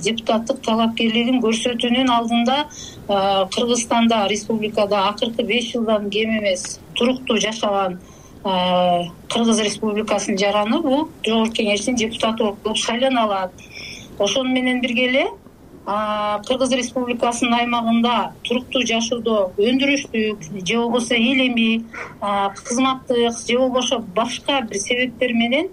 депутаттык талапкерлигин көрсөтүүнүн алдында Кыргызстанда, республикада акыркы 5 жылдан кем эмес туруктуу жашаган Кыргыз Республикасынын жараны бул жогорку кеңештин депутаты болуп шайлана алат. Ошону менен бирге эле Кыргыз Республикасынын аймагында туруктуу жашоодо өндүрүштүк же болбосо илимий, кызматтык же болбосо башка бир себептер менен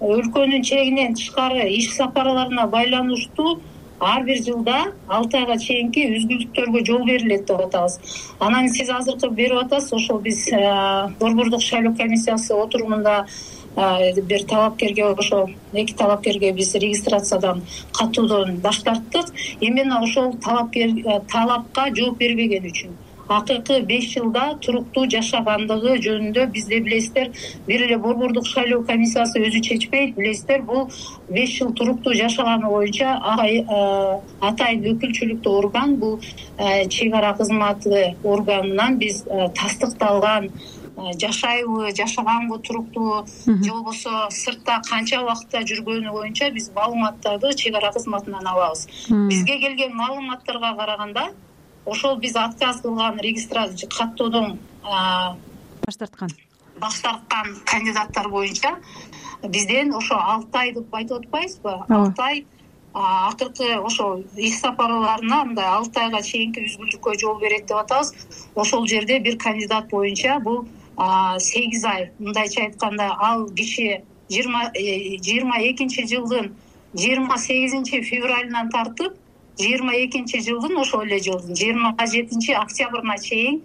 өлкөнүн чегинен тышкары иш сапарларына байланыштуу ар бир жылда 6 айга чейинки үзгүлтүктөргө жол берилет деп атабыз. Анан сиз азыркы берип атасыз, ошол биз Борбордук шайлоо комиссиясы отурумунда бир талапкерге, ошол 2 талапкерге биз регистрациядан каттоодон баш тарттык. Именно ошол талапка жооп бербеген үчүн. Акыркы 5 жылда туруктуу жашагандыгы жөнүндө бизде билесиздер, бир эле Борбордук шайлоо комиссиясы өзү чечпейт. Билесиздер, бул 5 жыл туруктуу жашаганы боюнча атайын өкүлчүлүктүү орган, бул чек ара кызматы органынан биз тастыкталган жашайбы, жашаганбы туруктуу же болбосо сыртта канча убакытта жүргөнү боюнча биз маалыматтарды чек ара кызматынан алабыз. Бизге келген маалыматтарга караганда ошол биз отказ кылган регистрация каттоодон баш тарткан кандидаттар боюнча бизден ошо 6 ай деп айтып атпайбызбы? 6 ай акыркы ошол иш сапарларына мындай 6 айга чейинки үзгүлтүккө жол берет деп атабыз. Ошол жерде бир кандидат боюнча бул 8 ай, мындайча айтканда, ал киши 22-жылдын 28 февралынан тартып 22-жылдын ошол эле жылдын 27 октябрына чейин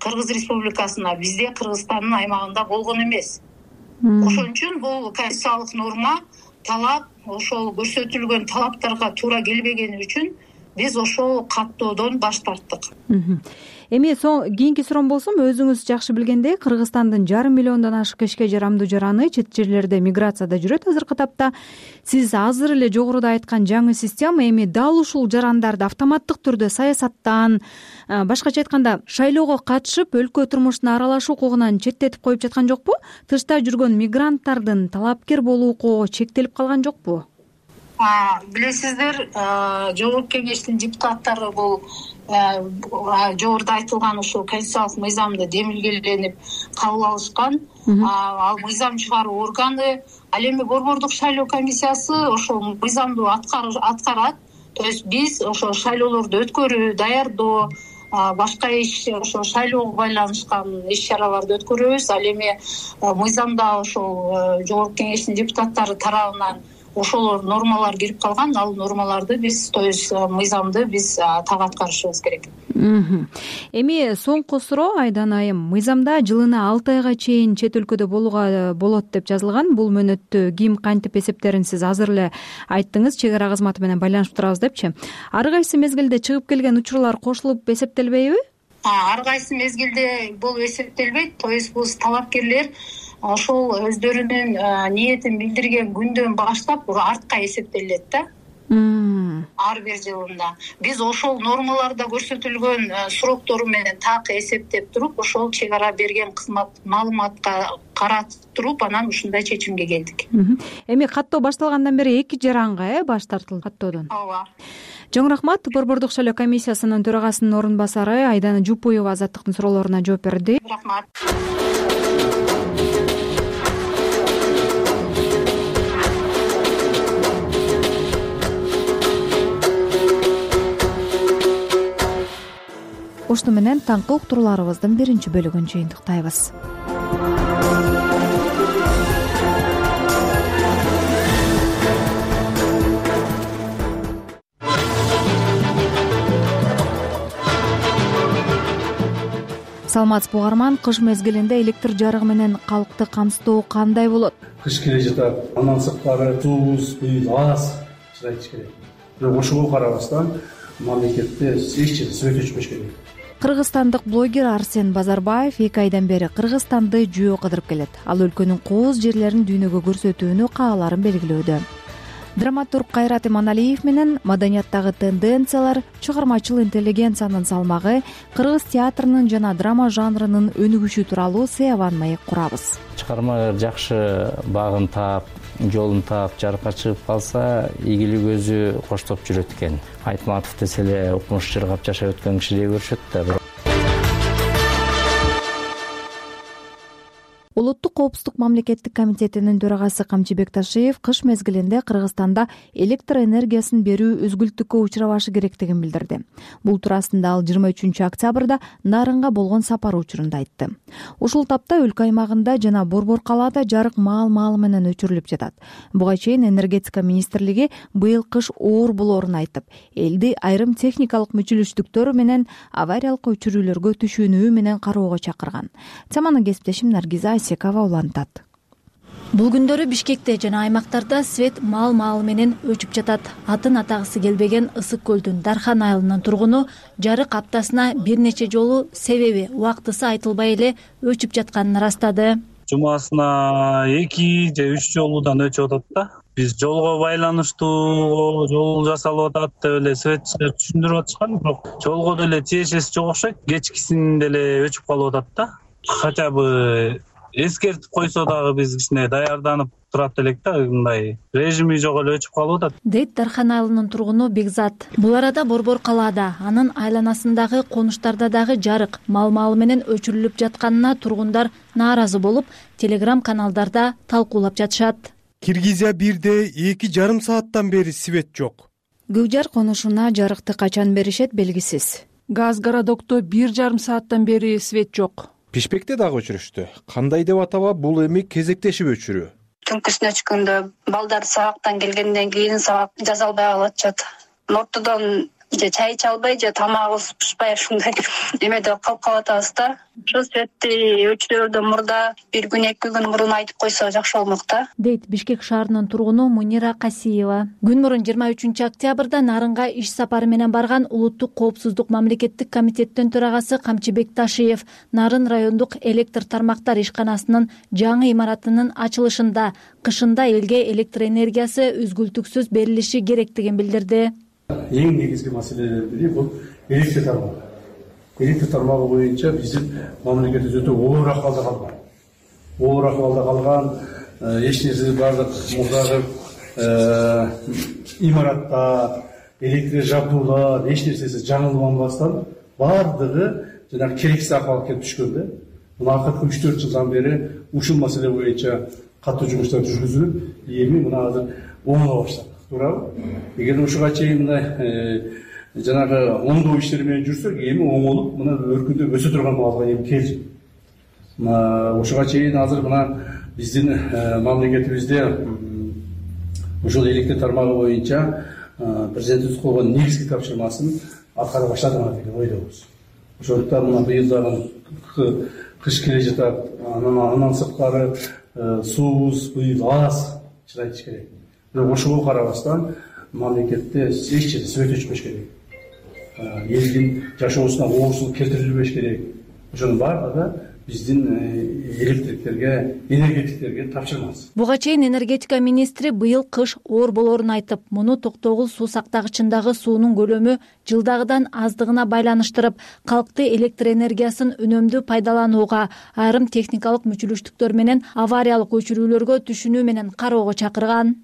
Кыргыз Республикасына, бизде Кыргызстандын аймагында болгон эмес. Ошон үчүн бул конституциялык норма, талап, ошол көрсөтүлгөн талаптарга туура келбегени үчүн биз ошол каттоодон баш тарттык. Эми кийинки суроом болсом, өзүңүз жакшы билгендей, Кыргызстандын 5,5 миллиондон ашык ишке жарамдуу жараны чет жерлерде миграцияда жүрөт азыркы тапта. Сиз азыр эле жогоруда айткан жаңы система эми дал ушул жарандарды автоматтык түрдө саясаттан, башкача айтканда, шайлоого катышып, өлкө турмушуна аралашуу укугунан четтетип коюп жаткан жокпу? Тышта жүргөн мигранттардын талапкер болуу укугу чектелип калган жокпу? Билесиздер, жогорку кеңештин депутаттары бул жогоруда айтылган ушул конституциялык мыйзамды демилгеленип кабыл алышкан. Ал мыйзам чыгаруу органы, ал эми Борбордук шайлоо комиссиясы ошол мыйзамды аткарат. То есть биз ошол шайлоолорду өткөрүү, даярдоо, башка иш, ошол шайлоого байланышкан иш-чараларды өткөрөбүз. Ал эми мыйзамда ошол жогорку кеңештин депутаттары тарабынан ошол нормалар кирип калган, ал нормаларды биз, то есть мыйзамды биз так аткарышыбыз керек. Эми соңку суроо, Айдана айым, мыйзамда жылына 6 айга чейин чет өлкөдө болууга болот деп жазылган. Бул мөөнөттү ким кантип эсептерин сиз азыр эле айттыңыз, чек ара кызматы менен байланышып турабыз депчи. Ар кайсы мезгилде чыгып келген учурлар кошулуп эсептелбейби? Ар кайсы мезгилде бул эсептелбейт. То есть бул талапкерлер ошол өздөрүнүн ниетин билдирген күндөн баштап артка эсептелет да. ар бир жылында. Биз ошол нормаларда көрсөтүлгөн сроктору менен так эсептеп туруп, ошол чек ара берген кызмат маалыматка каратып туруп, анан ушундай чечимге келдик. Эми каттоо башталгандан бери 2 жаранга баш тартылды каттоодон. Ооба. Чоң рахмат. Борбордук шайлоо комиссиясынын төрагасынын орун басары Айдана Жупуева Азаттыктын суроолоруна жооп берди. Рахмат. Ушуну менен таңкы уктурууларыбыздын биринчи бөлүгүн жыйынтыктайбыз. Саламатсызбы угарман, кыш мезгилинде электр жарыгы менен калкты камсыздоо кандай болот? Кыш келе жатат, андан сырткары туз, бүй, аз чыдайт керек. Бирок ошого карабастан мамлекетте эч жерде свет өчпөш керек. Кыргызстандык блогер Арсен Базарбаев 2 айдан бери Кыргызстанды жөө кыдырып келет. Ал өлкөнүн кооз жерлерин дүйнөгө көрсөтүүнү кааларын белгилөөдө. Драматург Кайрат Иманалиев менен маданияттагы тенденциялар, чыгармачыл интеллигенциянын салмагы, кыргыз театрынын жана драма жанрынын өнүгүшү тууралуу сыябан маек курабыз. Чыгарма жакшы багын таап, жолун таап, жарыкка чыгып калса, ийгилик өзү коштоп жүрөт экен. Айтматов десе эле укмуш жыргап жашап өткөн кишидей көрүшөт да. Улуттук коопсуздук мамлекеттик комитетинин төрагасы Камчыбек Ташиев кыш мезгилинде Кыргызстанда электр энергиясын берүү өзгүлтүккө учурабашы керектигин билдирди. Бул туурасында ал 23 октябрда Нарынга болгон сапары учурунда айтты. Ушул тапта өлкө аймагында жана Борбор калаада жарык маал менен өчүрүлүп жатат. Буга чейин энергетика министрлиги быйыл кыш оор болоорун айтып, элди айрым техникалык мүчүлүштүктөр менен авариялык өчүрүүлөргө түшүнүү менен кароого чакырган. Теманы кесиптешим Наргиза Секава улантат. Бул күндөрү Бишкекте жана аймактарда свет маал менен өчүп жатат. Атын атагысы келбеген Ысык көлдүн Дархан айылынын тургуну жарык аптасына бир нече жолу себеби убактысы айтылбай эле өчүп жатканын ырастады. Жумасына 2 же 3 жолудан өчүп атат да. Биз жолго байланыштуу жол жасалып атат деп эле светчилер түшүндүрүп атышкан, бирок жолго деле тиешеси жок окшойт. Кечкисинде эле өчүп калып атат да. Хотя бы эскертип койсо дагы биз кичине даярданып турат элек да, мындай режими жок эле өчүп калып атат, дейт Дархан айылынын тургуну Бекзат. Бул арада Борбор калаада, анын айланасындагы конуштарда дагы жарык маал менен өчүрүлүп жатканына тургундар нааразы болуп, Telegram каналдарда талкуулап жатышат. Киргизия 1де 2,5 сааттан бери свет жок. Гүлжар конушуна жарыкты качан беришет белгисиз. Газ городокто 1,5 сааттан бери свет жок. Бишкекте дагы өчүрүштү. Кандай деп атаба, бул эми кезектешип өчүрүү. Түнкүсүнө чыкканда балдар сабактан келгенден кийин сабак жаза албай калышат. Ортодон же чай иче албай, же тамагыбыз пышпай ушундай эмеде калып калатабыз да. Ошол светти өчүрүүдөн мурда 1 күн 2 күн мурун айтып койсо жакшы болмок да, дейт Бишкек шаарынын тургуну Мунира Касиева. Күн мурун 23 октябрда Нарынга иш сапары менен барган Улуттук коопсуздук мамлекеттик комитеттин төрагасы Камчыбек Ташиев Нарын райондук электр тармактар ишканасынын жаңы имаратынын ачылышында кышында элге электр энергиясы үзгүлтүксүз берилиши керектигин билдирди. Эң негизги маселелердин бири бул электр тармагы. Электр тармагы боюнча биздин мамлекетибиз өтө оор акыбалда калган. Оор акыбалда калган, эч нерсе бардык мурдагы имаратта электр жабдуулар, эч нерсеси жаңыланбастан бардыгы жанагы керексиз акыбалга келип түшкөн да. Мына акыркы 3-4 жылдан бери ушул маселе боюнча катуу жумуштар жүргүзүлүп, эми мына азыр оңола баштады. Туурабы? Эгер ушуга чейин мына жанагы оңдоо иштери менен жүрсөк, эми оңолуп, мына өркүндөп өсө турган маалга эми келди. Мына ушуга чейин азыр мына биздин мамлекетибизде ушул электр тармагы боюнча президентибиз койгон негизги тапшырмасын аткара баштадыгы деген ойдобуз. Ошондуктан мына быйыл дагы кыш келе жатат, андан сырткары суубуз быйыл аз чыдайт керек. Бирок ошого карабастан мамлекетте эч жерде свет өчпөш керек. Элдин жашоосуна оорчулук келтирилбеш керек. Ошонун баардыгы биздин энергетиктерге тапшырмабыз. Буга чейин энергетика министри быйыл кыш оор болоорун айтып, муну токтогул суу сактагычындагы суунун көлөмү жылдагыдан аздыгына байланыштырып, калкты электр энергиясын үнөмдүү пайдаланууга, айрым техникалык мүчүлүштүктөр менен авариялык өчүрүүлөргө түшүнүү менен кароого чакырган.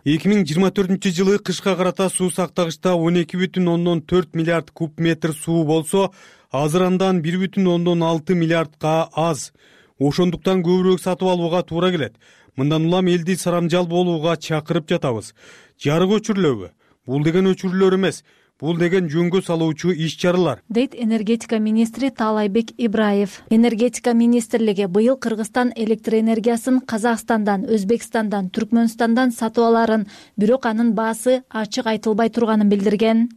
2024 кышка карата суу сактагычта 12,4 миллиард куб метр суу болсо, азыр андан 1,6 миллиардка аз. Ошондуктан көбүрөөк сатып алууга туура келет. Мындан улам элди сарамжал болууга чакырып жатабыз. Жарык өчүрүлөбү? Бул деген өчүрүүлөр эмес. Бул деген жөнгө салуучу иш-чаралар, дейт энергетика министри Таалайбек Ибраев. Энергетика министрлиги быйыл Кыргызстан электр энергиясын Казакстандан, Өзбекстандан, Түркмөнстандан сатып аларын, бирок анын баасы ачык айтылбай турганын билдирген.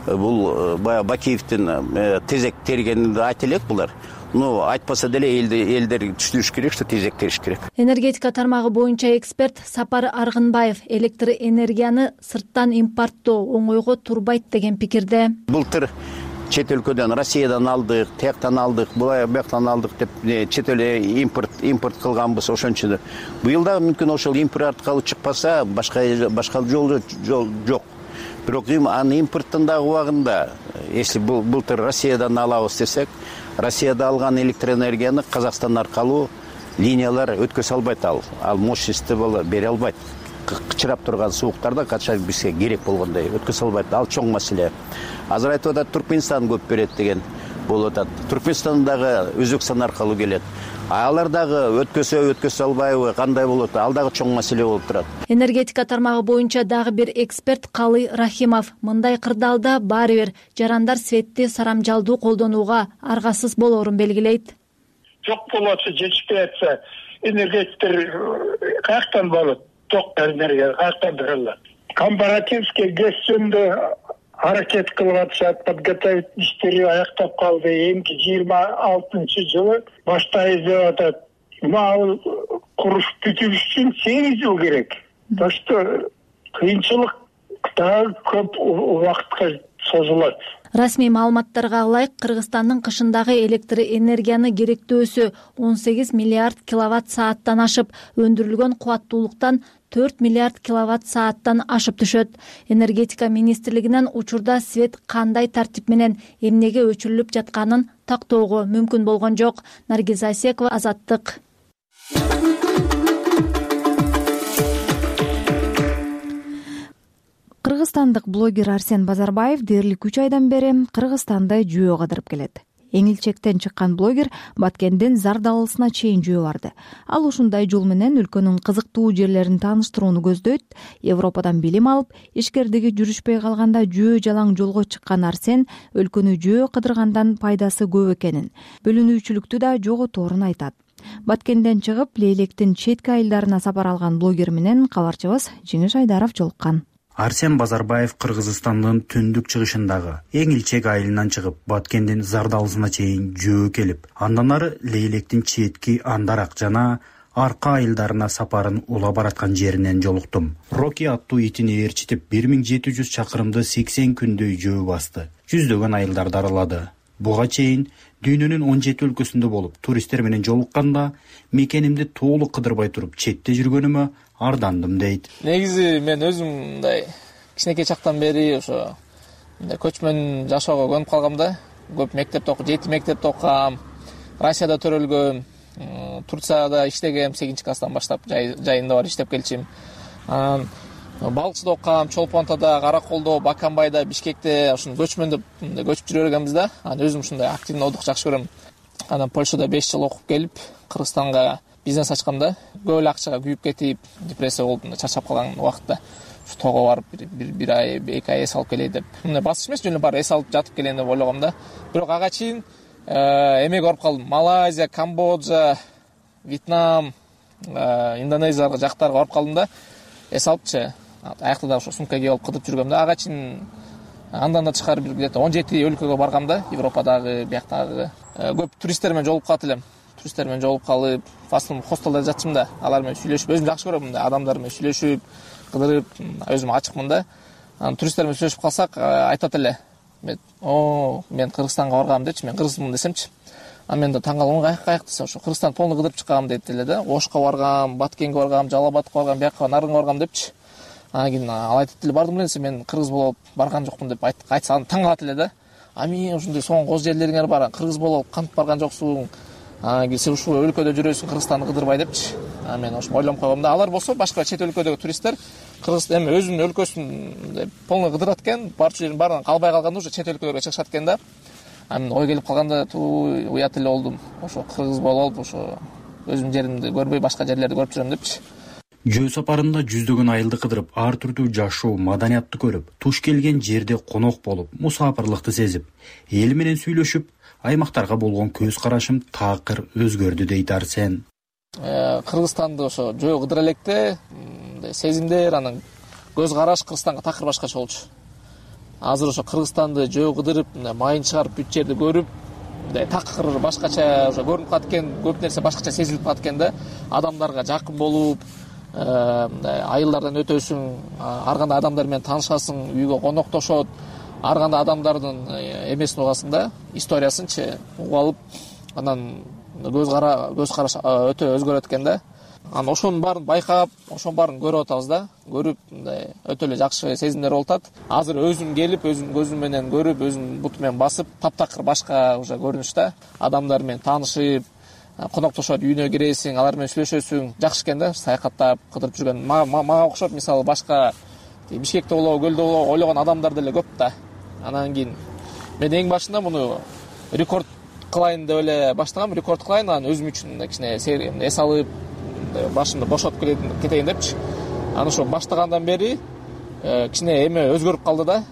Бул баягы Бакиевдин тезек тергенин айта элек булар. Айтпаса деле элдер түшүнүш керек, что тезек териш керек. Энергетика тармагы боюнча эксперт Сапар Аргынбаев электр энергияны сырттан импорттоо оңойго турбайт деген пикирде. Былтыр чет өлкөдөн, Россиядан алдык, тияктан алдык, бияктан алдык деп чет эл импорт кылганбыз ошончо. Быйыл да мүмкүн ошол импорт аркылуу чыкпаса, башка жол жок. Бирок аны импорттун дагы убагында, если былтыр Россиядан алабыз десек, Россияда алган электр энергияны Казакстан аркылуу линиялар өткөзө албайт, ал мощности бере албайт. Кычырап турган сууктарда качан бизге керек болгондой өткөзө албайт. Ал чоң маселе. Азыр айтып атат, Түркмөнстан көп берет деген болуп атат. Түркмөнстан дагы Өзбекстан аркылуу келет. Алар дагы өткөзө албайбы, кандай болот? Ал дагы чоң маселе болуп турат. Энергетика тармагы боюнча дагы бир эксперт Калый Рахимов мындай кырдаалда баары бир жарандар светти сарамжалдуу колдонууга аргасыз болоорун белгилейт. Жок болотса, жетишпей атса, энергетиктер каяктан болот? Ток энергия каяктан берилет? Компаративский гэс жөнүндө аракет кылып атышат, подготовительный иштери аяктап калды. Эмки 26-жылы баштайбыз деп атат. Ал куруш бүтүш үчүн 8 жыл керек. Так что кыйынчылык дагы көп убакытка созулат. Расмий маалыматтарга ылайык, Кыргызстандын кышындагы электр энергияны керектөөсү 18 миллиард киловатт сааттан ашып, өндүрүлгөн кубаттуулуктан 4 миллиард киловатт сааттан ашып түшөт. Энергетика министрлигинен учурда свет кандай тартип менен эмнеге өчүрүлүп жатканын тактоого мүмкүн болгон жок. Наргиза Асекова, Азаттык. Кыргызстандык блогер Арсен Базарбаев дээрлик 3 айдан бери Кыргызстанды жөө кыдырып келет. Эң илчектен чыккан блогер Баткенден Зардалысына чейин жөө барды. Ал ушундай жол менен өлкөнүн кызыктуу жерлерин тааныштырууну көздөйт. Европадан билим алып, ишкердиги жүрүшпөй калганда жөө жалаң жолго чыккан Арсен өлкөнү жөө кыдыргандан пайдасы көп экенин, бөлүнүүчүлүктү да жоготорун айтат. Баткенден чыгып, Лейлектин четки айылдарына сапар алган блогер менен кабарчыбыз Жеңиш Айдаров жолуккан. Арсен Базарбаев Кыргызстандын түндүк чыгышындагы эң илчек айылынан чыгып, Баткендин Зардалысына чейин жөө келип, андан ары Лейлектин четки Андарак жана Арка айылдарына сапарын ула бараткан жеринен жолуктум. Роки аттуу итини ээрчитип 1700 чакырымды 80 күндөй жөө басты. Жүздөгөн айылдарды аралады. Буга чейин дүйнөнүн 17 өлкөсүндө болуп, туристтер менен жолукканда мекенимди толук кыдырбай туруп четте жүргөнүмө ардандым дейт. Негизи мен өзүм мындай кичинекей чактан бери ошо көчмөн жашоого көнүп калгам да. Көп мектепте окуп, 7 мектепте окугам. Россияда төрөлгөм, Турцияда иштегем, 8-класстан баштап жайында бар иштеп келчим. Балыкчыда окугам, Чолпонтада, Караколдо, Баканбайда, Бишкекте ушун көчмөндө көчүп жүрө бергенбиз да. Анан өзүм ушундай активный отдых жакшы көрөм. Анан Польшада 5 жыл окуп келип, Кыргызстанга бизнес ачканда, көп эле акчага күйүп кетип, депрессия болуп, чарчап калган убакытта ушу тоого барып бир ай, 2 ай эс алып келейин деп. Мындай басыш эмес, жөн эле барып эс алып жатып келейин деп ойлогом да. Бирок ага чейин эмеге барып калдым. Малайзия, Камбоджа, Вьетнам, Индонезия жактарга барып калдым да. Эс алыпчы. Аякта да ошо сумка кийип алып кыдырып жүргөм да. Ага чейин андан да тышкары бир где-то 17 өлкөгө баргам да. Европадагы, бияктагы. Көп туристтер менен жолугуп калат элем. Туристтер менен жолугуп калып, фастын хостелде жатчым да. Алар менен сүйлөшүп, өзүм жакшы көрөм мындай адамдар менен сүйлөшүп, кыдырып, өзүм ачыкмын да. Анан туристтер менен сүйлөшүп калсак, айтат эле. Мен Кыргызстанга баргам депчи, мен кыргызмын десемчи. мен да таң калгам, каяк десе ошо Кыргызстан полный кыдырып чыккам дейт эле да. Ошко баргам, Баткенге баргам, Жалал Абадка баргам, бияка Нарынга баргам депчи. Анан кийин ал айтып эле, бардым эле мен кыргыз болуп барган жокмун деп айтса таң калат эле да. Мен ушундай соңку жерлериңер бар, кыргыз болуп кантип барган жоксуң? Сен ушул өлкөдө жүрөсүң, Кыргызстанды кыдырбай депчи. Мен ошо ойлонуп койгом да. Алар болсо башка чет өлкөдөгү туристтер Кыргыз эми өзүнүн өлкөсүн полный кыдырат экен, барчу жерин баарынан калбай калганда уже чет өлкөлөргө чыгышат экен да. Ой келип калганда уят эле болдум. Ошо кыргыз болуп, ошо өзүмдүн жеримди көрбөй башка жерлерди көрүп жүрөм депчи. Жөө сапарында жүздөгөн айылды кыдырып, ар түрдүү жашоо, маданиятты көрүп, туш келген жерде конок болуп, мусапырлыкты сезип, эл менен сүйлөшүп, аймактарга болгон көз карашым такыр өзгөрдү дейт Арсен. Кыргызстанды ошо жөө кыдыра электе сезимдер, анан көз караш Кыргызстанга такыр башкача болчу. Азыр ошо Кыргызстанды жөө кыдырып, майын чыгарып, бүт жерди көрүп, такыр башкача ошо көрүнүп калат экен, көп нерсе башкача сезилип калат экен да. Адамдарга жакын болуп, айылдардан өтөсүң, ар кандай адамдар менен таанышасың, үйгө коноктошот, ар кандай адамдардын эмесин угасың да, историясынчы угуп алып, анан көз караш өтө өзгөрөт экен да. Анан ошонун баарын байкап, ошонун баарын көрүп атабыз да. Көрүп, өтө эле жакшы сезимдер болуп атат. Азыр өзүм келип, өзүм көзүм менен көрүп, өзүм буту менен басып, таптакыр башка уже көрүнүш да. Адамдар менен таанышып, коноктошот, үйүнө киресиң, алар менен сүйлөшөсүң, жакшы экен да, саякаттап, кыдырып жүргөн. Мага окшоп, мисалы башка Бишкекте болобу, Көлдө болобу ойлогон адамдар деле көп да. Анан кийин мен эң башында муну рекорд кылайын деп эле баштагам, рекорд кылайын, анан өзүм үчүн кичине эс алып, башымды бошотуп кетейин депчи. Анан ошо баштагандан бери кичине эме өзгөрүп калды да.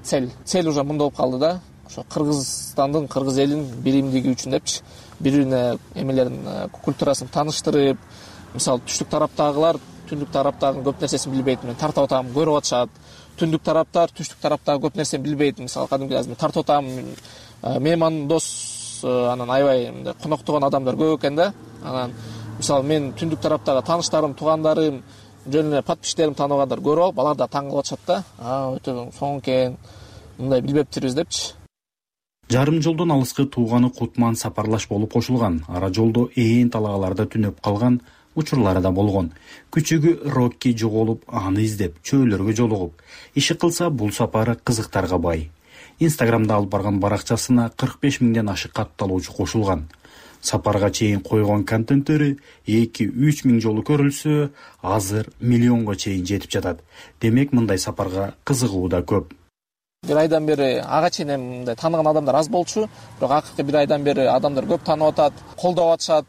Цель уже мындай болуп калды да. Ошо Кыргызстандын, кыргыз элинин биримдиги үчүн депчи. Бири-бирине эмелерин, культурасын тааныштырып, мисалы түштүк тараптагылар түндүк тараптагы көп нерсесин билбейт, мен тартып атам, көрүп атышат. Түндүк тараптар түштүк тараптагы көп нерсени билбейт, мисалы кадимки азыр тартып атам, мейман дос, анан аябай коноктогон адамдар көп экен да. Анан мисалы мен түндүк тараптагы тааныштарым, туугандарым, жөн эле подписчилерим тааныгандар көрүп алып, алар да таң калып атышат да. Өтө соң экен, мындай билбептирбиз депчи. Жарым жолдон алыскы тууганы Кутман сапарлаш болуп кошулган. Ара жолдо ээн талагаларда түнөп калган учурлары да болгон. Күчүгү Рокки жоголуп, аны издеп, чөөлөргө жолугуп, иши кылса бул сапары кызыктарга бай. Инстаграмда алып барган баракчасына 45 миңден ашык катталуучу кошулган. Сапарга чейин койгон контенттери 2-3 миң жолу көрүлсө, азыр миллионго чейин жетип жатат. Демек, мындай сапарга кызыгуу да көп. Бир айдан бери ага чейин мындай тааныган адамдар аз болчу, бирок акыркы бир айдан бери адамдар көп таанып атат, колдоп атышат,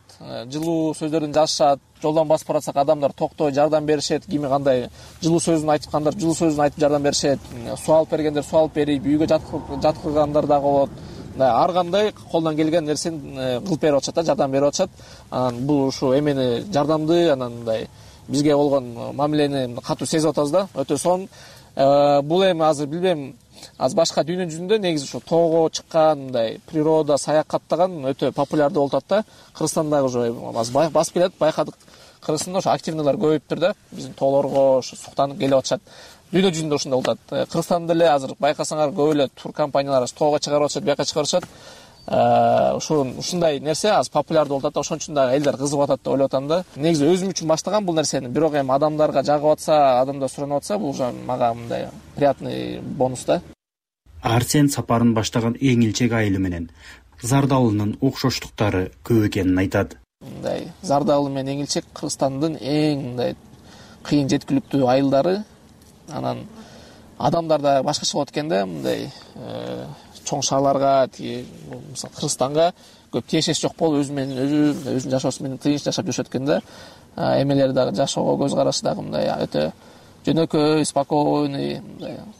жылуу сөздөрдөн жазышат. Жолдон басып баратсак адамдар токтой жардам беришет, кими кандай жылуу сөзүн айткандар жылуу сөзүн айтып жардам беришет, суу алып бергендер суу алып берип, үйгө жаткыргандар дагы болот. Ар кандай колдон келген нерсени кылып берип атышат да, жардам берип атышат. Анан бул ушу эмени жардамды, анан мындай бизге болгон мамилени катуу сезип атабыз да, өтө сонун. Бул эми азыр билбейм, азыр башка дүйнө жүзүндө негизи ушу тоого чыккан, мындай природа саякаттаган өтө популярдуу болуп атат да. Кыргызстандагы уже азыр басып келет, байкадык. Кыргызстанда ошо активныйлар көбөйүптүр да, биздин тоолорго ошо суктанып келип атышат. Дүйнө жүзүндө ушундай болуп атат. Кыргызстанда деле азыр байкасаңар көп эле тур компаниялар тоого чыгарып атышат, бияка чыгарып атышат. Ушундай нерсе азыр популярдуу болуп атат да, ошон үчүн дагы элдер кызыгып атат деп ойлоп атам да. Негизи өзүм үчүн баштагам бул нерсени, бирок эми адамдарга жагып атса, адамдар суранып атса, бул уже мага мындай приятный бонус да. Арсен сапарын баштаган эң илчек айылы менен Зардалынын окшоштуктары көп экенин айтат. Мындай Зардалы менен эң илчек Кыргызстандын эң мындай кыйын жеткиликтүү айылдары. Анан адамдар да башкача болот экен да, мындай чоң шаарларга, мисалы Кыргызстанга көп тиешеси жок болуп, өзүнүн жашоосу менен тынч жашап жүрүшөт экен да. Эмелери дагы жашоого көз карашы дагы мындай өтө жөнөкөй, спокойный,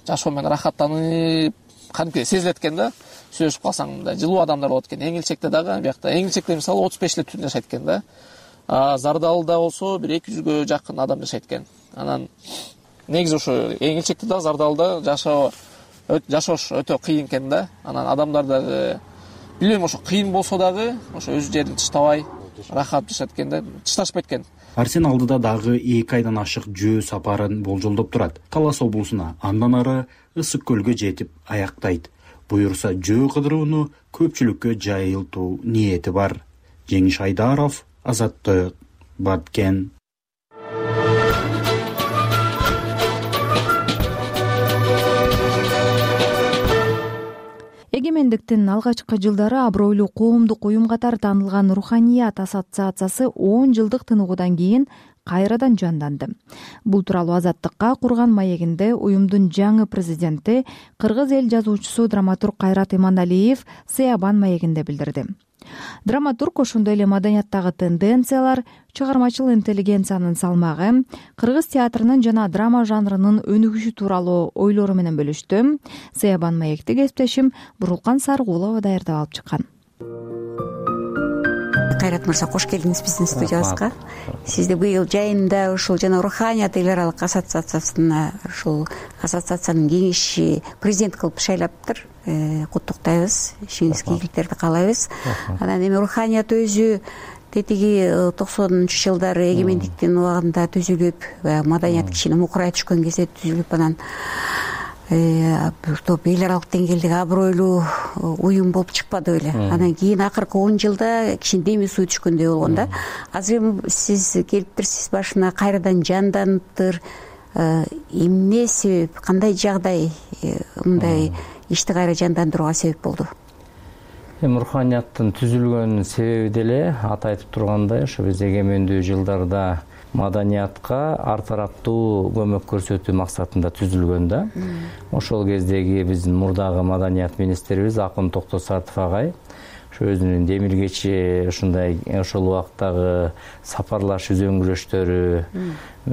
жашоо менен рахаттанып, кантип сезилет экен да. Сүйлөшүп калсаң мындай жылуу адамдар болот экен. Эң илчекте дагы биякта эң илчекте мисалы 35 эле түн жашайт экен да. Зардалда болсо бир 200гө жакын адам жашайт экен. Анан негизи ушу эң илчекте да Зардалда жашоош өтө кыйын экен да. Анан адамдар дагы билбейм, ошо кыйын болсо дагы ошо өз жерин тыштабай рахат жашайт экен да, тышташпайт экен. Арсен алдыда дагы 2 айдан ашык жөө сапарын болжолдоп турат. Талас облусуна, андан ары Ысык көлгө жетип аяктайт. буюрса жөө кыдырууну көпчүлүккө жайылтуу ниети бар. Жеңиш Айдаров, Азаттык, Баткен. Эгемендиктин алгачкы жылдары абройлуу коомдук уюм катары таанылган Руханият ассоциациясы 10 жылдык тыныгуудан кийин кайрадан жанданды. Бул тууралуу Азаттыкка курган маегинде уюмдун жаңы президенти, кыргыз эл жазуучусу драматург Кайрат Иманалиев Сыябан маегинде билдирди. Драматург ошондой эле маданияттагы тенденциялар, чыгармачыл интеллигенциянын салмагы, кыргыз театрынын жана драма жанрынын өнүгүшү тууралуу ойлору менен бөлүштү. Сыябан маекти кесиптешим Бурулкан Сарыгулова даярдап алып чыккан. Кайрат мырза, кош келдиңиз биздин студиябызга. Сизди быйыл жайында ушул жана Руханият эл аралык ассоциациясына, ушул ассоциациянын кеңеши президент кылып шайлаптыр. Куттуктайбыз, ишиңизге ийгиликтерди каалайбыз. Анан эми Руханият өзү тетиги 90-ч жылдары эгемендиктин убагында түзүлүп, маданият кичине мукурай түшкөн кезде түзүлүп, анан бир топ эл аралык деңгээлдеги абройлуу уюм болуп чыкпады беле. Анан кийин акыркы 10 жылда кичине деми суу түшкөндөй болгон да. Азыр эми сиз келиптирсиз, башына кайрадан жанданыптыр. Эмне себеп, кандай жагдай мындай ишти кайра жандандырууга себеп болду? Эми Руханияттын түзүлгөн себеби деле аты айтып тургандай, ошо биз эгемендүү жылдарда маданиятка ар тараптуу көмөк көрсөтүү максатында түзүлгөн да. Ошол кездеги биздин мурдагы маданият министрибиз Акын Токтосартов агай ошо өзүнүн демилгечи ошол убактагы сапарлаш үзөңгүрөштөрү,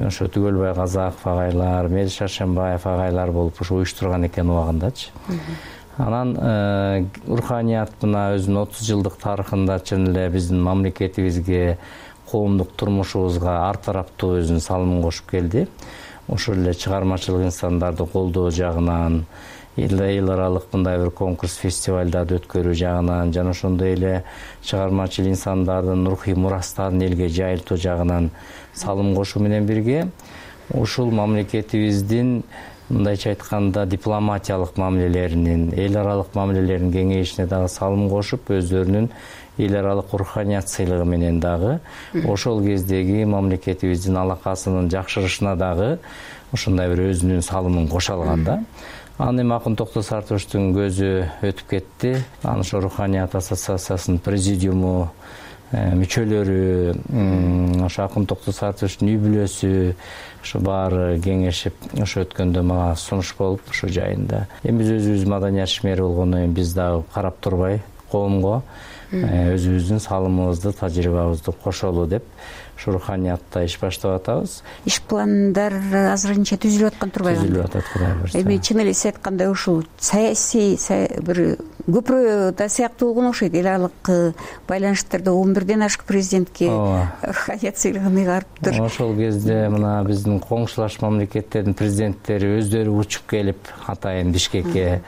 ошо Түгөлбай Казаков агайлар, Мел Шаршембаев агайлар болуп ошо уюштурган экен убагындачы. Анан Руханият мына өзүнүн 30 жылдык тарыхында чын эле биздин мамлекетибизге, коомдук турмушубузга ар тараптуу өзүнүн салымын кошуп келди. Ошол эле чыгармачылык инсандарды колдоо жагынан, эл аралык мындай бир конкурс фестивалдарды өткөрүү жагынан жана ошондой эле чыгармачыл инсандардын рухий мурастарын элге жайылтуу жагынан салым кошуу менен бирге ушул мамлекетибиздин мындайча айтканда дипломатиялык мамилелеринин, эл аралык мамилелеринин кеңейишине дагы салым кошуп, өздөрүнүн эл аралык Руханият сыйлыгы менен дагы ошол кездеги мамлекетибиздин алакасынын жакшырышына дагы ошондой бир өзүнүн салымын кошо алган да. Аны эми Акын Токтосартовичтин көзү өтүп кетти. Анан ошо Руханият ассоциациясынын президиуму мүчөлөрү, ошо Акын Токтосартовичтин үй бүлөсү, ошо баары кеңешип, ошо өткөндө мага сунуш болуп, ошо жайында. Эми биз өзүбүз маданият ишмери болгондон кийин биз дагы карап турбай коомго өзүбүздүн салымыбызды, тажрыйбабызды кошолу деп ушу Руханиятта иш баштап атабыз. Иш пландар азырынча түзүлүп аткан турбайбы? Түзүлүп атат, Кудай буйрса. Эми чын эле сиз айткандай ушул саясий бир көпүрө да сыяктуу болгон окшойт. Эл аралык байланыштарда 11ден ашык президентке Руханият сыйлыгын ыйгарыптыр. Ошол кезде мына биздин коңшулаш мамлекеттердин президенттери өздөрү учуп келип, атайын Бишкекке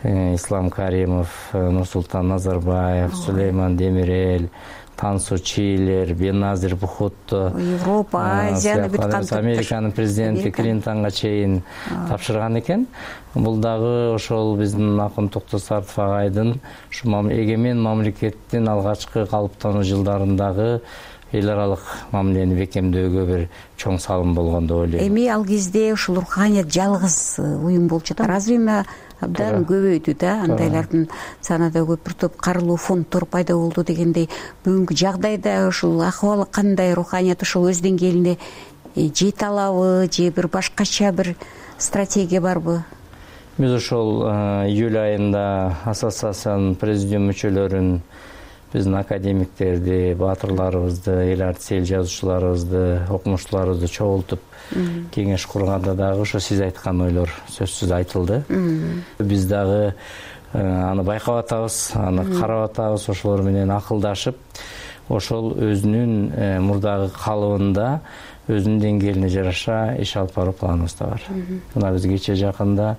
Ислам Каримов, Нурсултан Назарбаев, Сулейман Демирел, Тансу Чилер, Беназир Бухутто, Европа, Азияны бүт камтыптыр. Американын президенти Клинтонго чейин тапшырган экен. Бул дагы ошол биздин Акын Токтосартов агайдын ушу эгемен мамлекеттин алгачкы калыптануу жылдарындагы эл аралык мамилени бекемдөөгө бир чоң салым болгон деп ойлойм. Эми ал кезде ушул Руханият жалгыз уюм болуп жатат. Азыр эми абдан көбөйдү да, андайлардын саны да көп, бир топ карылуу фонддор пайда болду дегендей. Бүгүнкү жагдайда ушул акыбалы кандай? Руханият ушул өз деңгээлине жете алабы же бир башкача бир стратегия барбы? Биз ошол июль айында ассоциациянын президиум мүчөлөрүн, биздин академиктерди, баатырларыбызды, эл артиси, эл жазуучуларыбызды, окумуштууларыбызды чогултуп кеңеш курганда дагы ошо сиз айткан ойлор сөзсүз айтылды. Биз дагы аны байкап атабыз, аны карап атабыз, ошолор менен акылдашып, ошол өзүнүн мурдагы калыбында өзүнүн деңгээлине жараша иш алып баруу планыбыз да бар. Мына биз кече жакында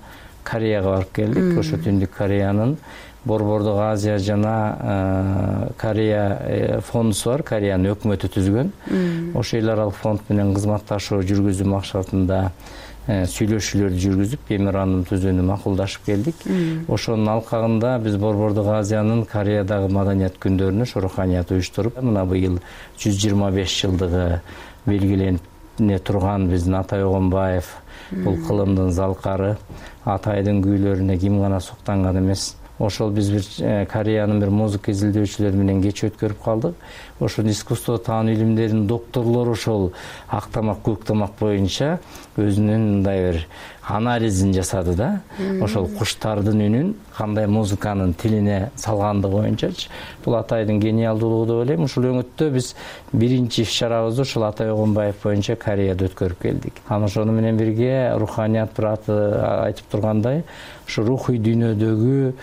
Кореяга барып келдик. Ошо Түндүк Кореянын Борбордук Азия жана Корея фондусу бар, Кореянын өкмөтү түзгөн. Ошол эл аралык фонд менен кызматташуу жүргүзүү максатында сүйлөшүүлөрдү жүргүзүп меморандум түзүүнү макулдашып келдик. Ошонун алкагында биз Борбордук Азиянын Кореядагы маданият күндөрүнө руханият уюштуруп, мына быйыл 125 жылдыгы белгиленип турган биздин Атай Огонбаев бул кылымдын залкары, Атайдын күүлөрүнө ким гана суктанган эмес. Ошол биз бир Кореянын бир музыка изилдөөчүлөрү менен кеч өткөрүп калдык. Ошол искусство таануу илимдеринин докторлору ошол ак тамак, көк тамак боюнча өзүнүн мындай бир анализин жасады да. Ошол куштардын үнүн кандай музыканын тилине салгандыгы боюнчачы. Бул Атайдын гениалдуулугу деп ойлойм. Ушул өңүттө биз биринчи иш-чарабызды ушул Атай Огонбаев боюнча Кореяда өткөрүп келдик. Ошону менен бирге руханият бир айтып тургандай, ушу рухий дүйнөдөгү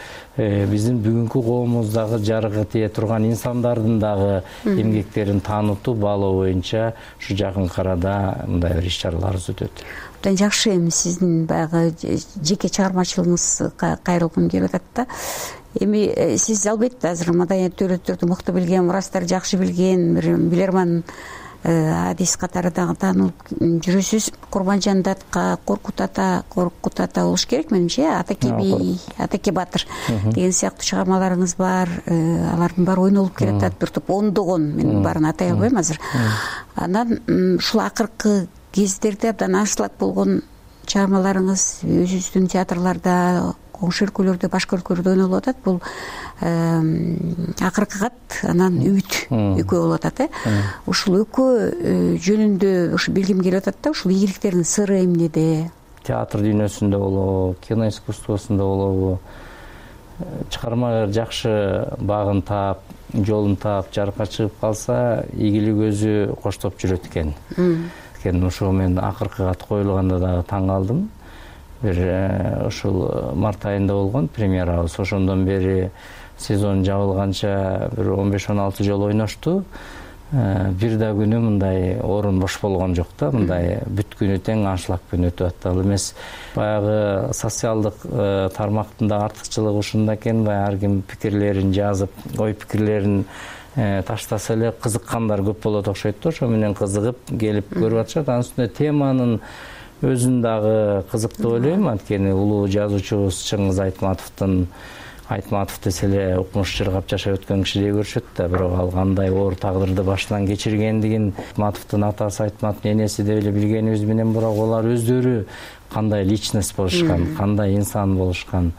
биздин бүгүнкү коомубуздагы жарыгы тие турган инсандардын дагы эмгектерин таанытуу, баалоо боюнча ушу жакынкы арада мындай бир иш-чараларыбыз өтөт. Абдан жакшы. Эми сиздин баягы жеке чыгармачылыгыңыз кайрылгым келип атат да. Эми сиз албетте азыр маданият төлөттөрдү мыкты билген, мурастарды жакшы билген, бир билерман адис катары дагы таанылып жүрөсүз. Курманжан Датка, Коркут ата болуш керек менимче, Атаке би, Атаке батыр деген сыяктуу чыгармаларыңыз бар. Алардын баары ойнолуп келатат, бир топ ондогон, мен баарын атай албайм азыр. Анан ушул акыркы кездерде абдан аншлаг болгон чыгармаларыңыз өзүбүздүн театрларда, коңшу өлкөлөрдө, башка өлкөлөрдө ойнолуп атат. Бул акыркы кат, анан үмүт экөө болуп атат. Ушул экөө жөнүндө ушу билгим келип атат да. Ушул ийгиликтердин сыры эмнеде? Театр дүйнөсүндө болобу, кино искусствосунда болобу, чыгарма жакшы багын таап, жолун таап, жарыкка чыгып калса, ийгилик өзү коштоп жүрөт экен. Ошо мен акыркы кат коюлганда дагы таң калдым. Бир ушул март айында болгон премьерабыз. Ошондон бери сезон жабылганча бир 15-16 жолу ойношту. Бир да күнү мындай орун бош болгон жок да. Мындай бүт күнү тең аншлагпен өтүп атталы эмес. Баягы социалдык тармактын да артыкчылыгы ушунда экен. Баягы ар ким пикирлерин жазып, ой пикирлерин таштаса эле кызыккандар көп болот окшойт да. Ошо менен кызыгып келип көрүп атышат. Анын үстүнө теманын өзүн дагы кызык деп ойлойм. Анткени улуу жазуучубуз Чыңгыз Айтматов десе эле укмуш жыргап жашап өткөн кишидей көрүшөт да. Бирок ал кандай оор тагдырды башынан кечиргендигин Айтматовдун атасы, Айтматовдун энеси деп эле билгенибиз менен, бирок алар өздөрү кандай личность болушкан, кандай инсан болушкан,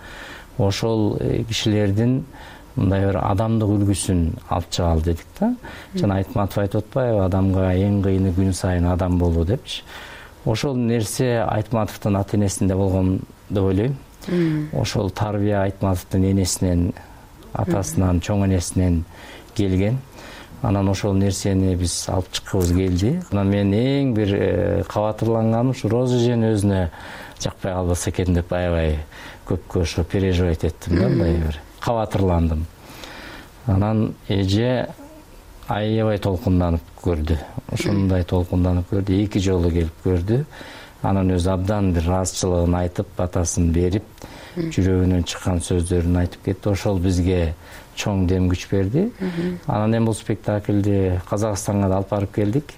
ошол кишилердин мындай бир адамдык үлгүсүн алып чыгалы дедик да. Жана Айтматов айтып атпайбы, адамга эң кыйыны күн сайын адам болуу депчи. Ошол нерсе Айтматовдун ата энесинде болгон деп ойлойм. Ошол тарбия Айтматовдун энесинен, атасынан, чоң энесинен келген. Анан ошол нерсени биз алып чыккыбыз келди. Анан мен эң бир кабатырланганым ушу Роза эжени өзүнө жакпай калбаса экен деп аябай көпкө ошо переживать эттим да, мындай бир кабатырландым. Анан эже аябай толкунданып көрдү. Ошондой толкунданып көрдү, 2 жолу келип көрдү. Анан өзү абдан бир ыраазычылыгын айтып, батасын берип, жүрөгүнөн чыккан сөздөрүн айтып кетти. Ошол бизге чоң дем күч берди. Анан эми бул спектакльди Казакстанга да алып барып келдик.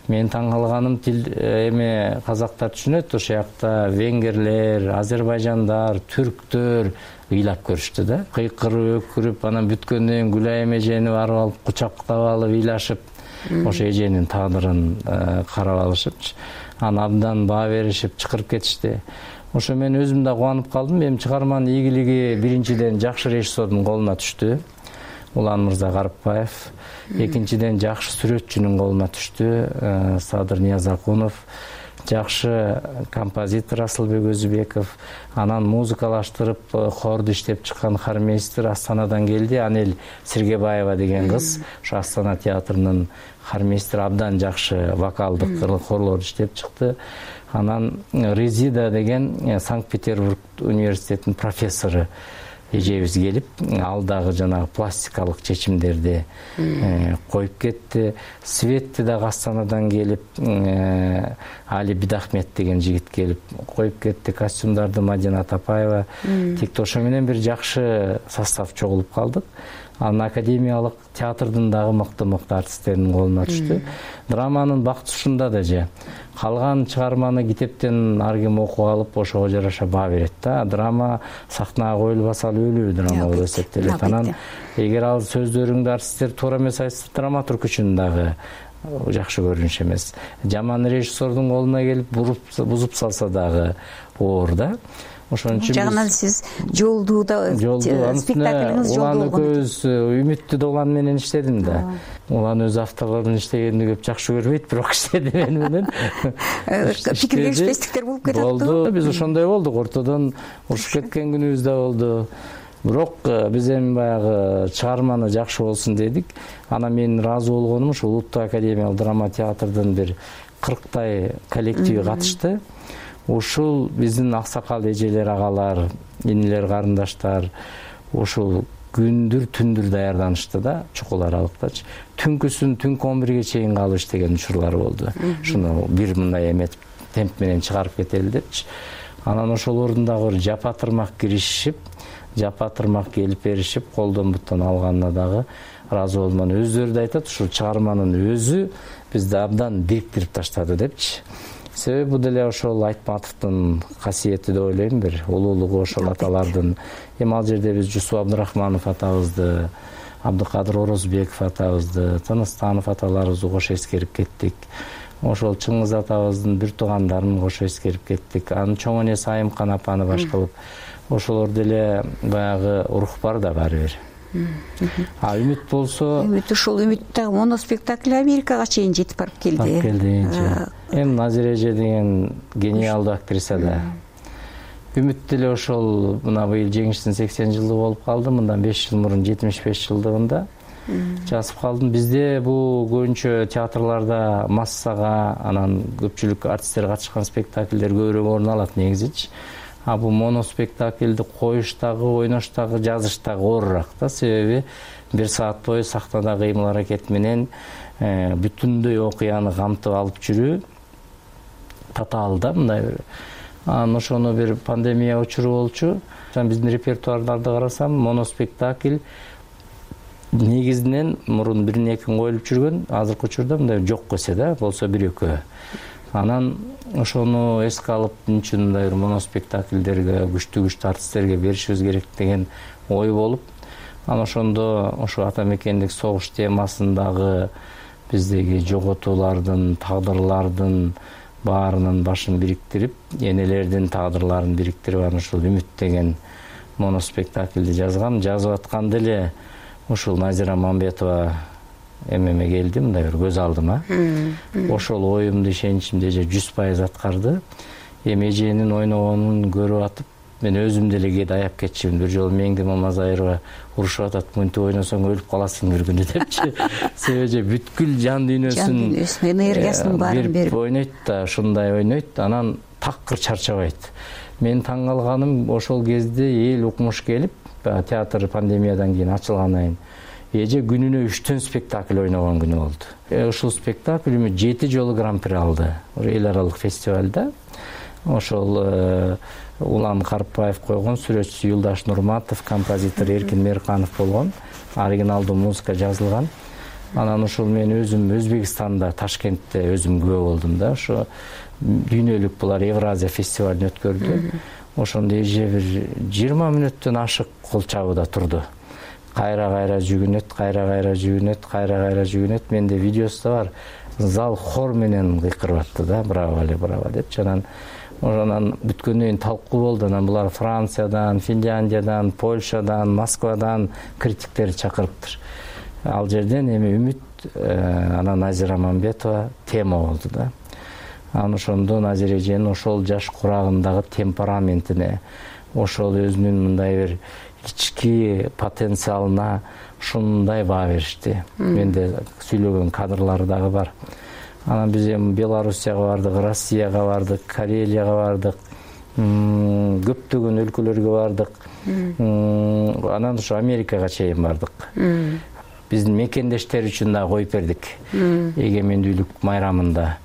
Мен таң калганым, тил эми казактар түшүнөт, ошол жакта венгерлер, азербайжандар, түрктөр ыйлап көрүштү да. Кыйкырып, өкүрүп, анан бүткөндөн кийин Гүлайым эжени барып алып, кучактап алып, ыйлашып, ошо эженин тагдырын карап алышыпчы. Анан абдан баа беришип, чакырып кетишти. Ошо мен өзүм да кубанып калдым. Эми чыгарманын ийгилиги биринчиден жакшы режиссердун колуна түштү. Улан Мырза Карыпбаев. Экинчиден жакшы сүрөтчүнүн колуна түштү. Садыр Ниязакунов. Жакшы композитор Асылбек Өзүбеков. Анан музыкалаштырып, хорду иштеп чыккан хормейстер Астанадан келди. Анель Сергебаева деген кыз. Ошо Астана театрынын хормейстери, абдан жакшы вокалдык хорлорду иштеп чыкты. Анан Резида деген Санкт-Петербург университетинин профессору эжебиз келип, ал дагы жанагы пластикалык чечимдерди коюп кетти. Светти дагы Астанадан келип, Али Бидахмет деген жигит келип коюп кетти. Костюмдарды Мадина Тапаева тикти. Ошо менен бир жакшы состав чогулуп калдык. анан академиялык театрдын дагы мыкты артисттердин колуна түштү. Драманын бактысы ушунда да же калган чыгарманы китептен ар ким окуп алып ошого жараша баа берет да. Драма сахнага коюлбаса ал өлүү драма болуп эсептелет. Анан эгер ал сөздөрүңдү артисттер туура эмес айтса, драматург үчүн дагы жакшы көрүнүш эмес. Жаман режиссердун колуна келип бузуп салса дагы оор да. Ошон үчүн жагынан сиз жолдууда спектаклиңиз Улан экөөбүз Үмүттү Улан менен иштедим да. Улан өз авторлордун иштегенди көп жакшы көрбөйт, бирок иштеди мени менен. Пикир келишпестиктер болуп кетет. Болду. Биз ошондой болдук. Ортодон урушуп кеткен күнүбүз да болду. Бирок биз эми баягы чыгарманы жакшы болсун дедик. Анан мен ыраазы болгонум ушул Улуттук академиялык драма театрдын бир 40 коллективи катышты. Ушул биздин аксакал эжелер, агалар, инилер, карындаштар ушул күндүр түндүр даярданышты да, чукул аралыктачы. Түнкүсүн түнкү 11ге чейин калып иштеген учурлар болду. Шуну бир мындай эметип темп менен чыгарып кетели депчи. Анан ошолордун дагы бир жапа-тырмак киришип, жапа-тырмак келип беришип, колдон буттан алганына дагы ыраазы болдум. Өздөрү да айтат, ушул чыгарманын өзү бизди абдан бириктирип таштады депчи. Себеби бул деле ошол Айтматовдун касиети деп ойлойм, бир улуулугу ошол аталардын. Эми ал жерде биз Жусуп Абдырахманов атабызды, Абдыкадыр Орозбеков атабызды, Тыныстанов аталарыбызды кошо эскерип кеттик. Ошол Чыңгыз атабыздын бир туугандарын кошо эскерип кеттик. Анын чоң энеси Айымкан апаны баш кылып, ошолор деле баягы урух бар да баары бир. Үмүт болсо, Үмүт ушул Үмүттөгү моноспектакль Америкага чейин жетип барып келди. Эми Назира эже деген гениалдуу актриса да. Үмүт деле ошол мына быйыл жеңиштин 80 жылдыгы болуп калды. Мындан 5 жыл мурун 75 жылдыгында жазып калдым. Бизде бул көбүнчө театрларда массага, анан көпчүлүк артисттер катышкан спектакльдер көбүрөөк орун алат негизичи. А бул моноспектакльди коюштагы, ойноштагы, жазыштагы оорураак да. Себеби 1 саат бою сахнада кыймыл аракет менен бүтүндөй окуяны камтып алып жүрүү татаал да, мындай бир. Анан ошону бир пандемия учуру болчу. Биздин репертуарларды карасам, моноспектакль негизинен мурун 1-2 коюлуп жүргөн, азыркы учурда мындай жок эсе да, болсо 1-2. Анан ошону эске алып, үчүн мындай бир моноспектакльдерге, күчтүү артисттерге беришибиз керек деген ой болуп, анан ошондо ошо ата мекендик согуш темасындагы биздеги жоготуулардын, тагдырлардын баарынын башын бириктирип, энелердин тагдырларын бириктирип, анан ушул Үмүт деген моноспектакльди жазгам. Жазып атканда эле ушул Назира Мамбетова эмеме келди, мындай бир көз алдыма. Ошол оюмду, ишеничимди эже 100% аткарды. Эми эженин ойногонун көрүп атып, мен өзүм деле кээде аяп кетчүмүн. Бир жолу Меңди Мамазайырова урушуп атат, мынтип ойносоң өлүп каласың бир күнү депчи. Себеби бүткүл жан дүйнөсүн, энергиясын баарын берип ойнойт да, ушундай ойнойт, анан такыр чарчабайт. Мен таң калганым, ошол кезде эл укмуш келип, театр пандемиядан кийин ачылгандан кийин эже күнүнө 3 спектакль ойногон күнү болду. Ушул спектакль 7 жолу гран-при алды эл аралык фестивалда. Ошол Улан Карпаев койгон, сүрөтчүсү Юлдаш Нурматов, композитор Эркин Мерканов болгон. Оригиналдуу музыка жазылган. Анан ошол мен өзүм Өзбекстанда, Ташкентте өзүм күбө болдум да. Ошо дүйнөлүк булар Евразия фестивалын өткөрдү. Ошондо эже бир 20 мүнөттөн ашык кол чабууда турду. Кайра-кайра жүгүнөт. Менде видеосу да бар. Зал хор менен кыйкырып атты да, браво деп. Анан бүткөндөн кийин талкуу болду. Анан булар Франциядан, Финляндиядан, Польшадан, Москвадан критиктерди чакырыптыр. Ал жерден эми Үмүт, анан Назира Мамбетова тема болду да. Анан ошондо Назира эженин ошол жаш курагындагы темпераментине, ошол өзүнүн мындай бир ички потенциалына ушундай баа беришти. Менде сүйлөгөн кадрлары дагы бар. Анан биз эми Белоруссияга бардык, Россияга бардык, Карелияга бардык, көптөгөн өлкөлөргө бардык. Анан ушу Америкага чейин бардык. Биздин мекендештер үчүн да коюп бердик. Эгемендүүлүк майрамында.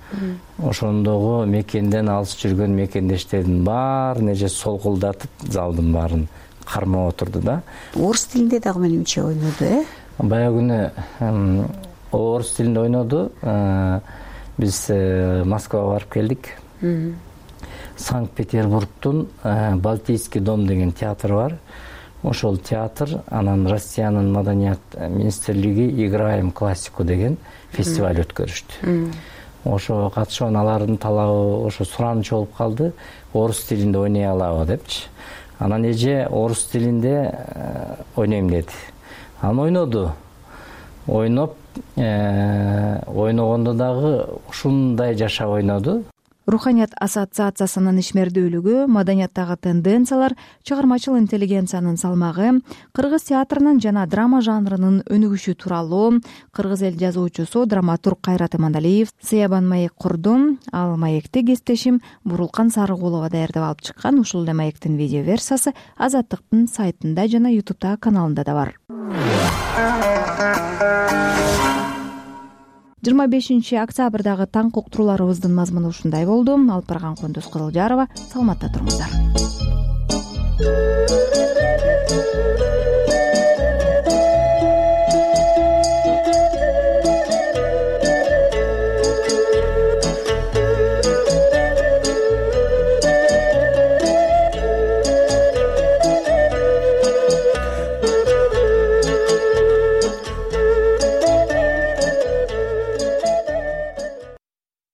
Ошондогу мекенден алыс жүргөн мекендештердин баарын эже солкулдатып, залдын баарын кармап отурду да. Орус тилинде дагы менимче ойноду, Баягы күнү орус тилинде ойноду. Биз Москвага барып келдик. Санкт-Петербургдун Балтийский дом деген театр бар. Ошол театр, анан Россиянын маданият министрлиги «Играем классику» деген фестиваль өткөрүштү. Ошого катышып, алардын талабы ошо сураныч болуп калды. Орус тилинде ойной алабы депчи. Анан эже орус тилинде ойнойм деди. Анан ойноду. Ойногондо дагы ушундай жашап ойноду. Руханият ассоциациясынын ишмердүүлүгү, маданияттагы тенденциялар, чыгармачыл интеллигенциянын салмагы, кыргыз театрынын жана драма жанрынын өнүгүшү тууралуу кыргыз эл жазуучусу, драматург Кайрат Имандалиев Сыябан маек курду. Ал маекти кесиптешим Бурулкан Сарыгулова даярдап алып чыккан. Ушул эле маектин видео версиясы Азаттыктын сайтында жана YouTube каналында да бар. 25 октябрдагы таң уктурууларыбыздын мазмуну ушундай болду. Алып барган Кундуз Кызылжарова. Саламатта туруңуздар.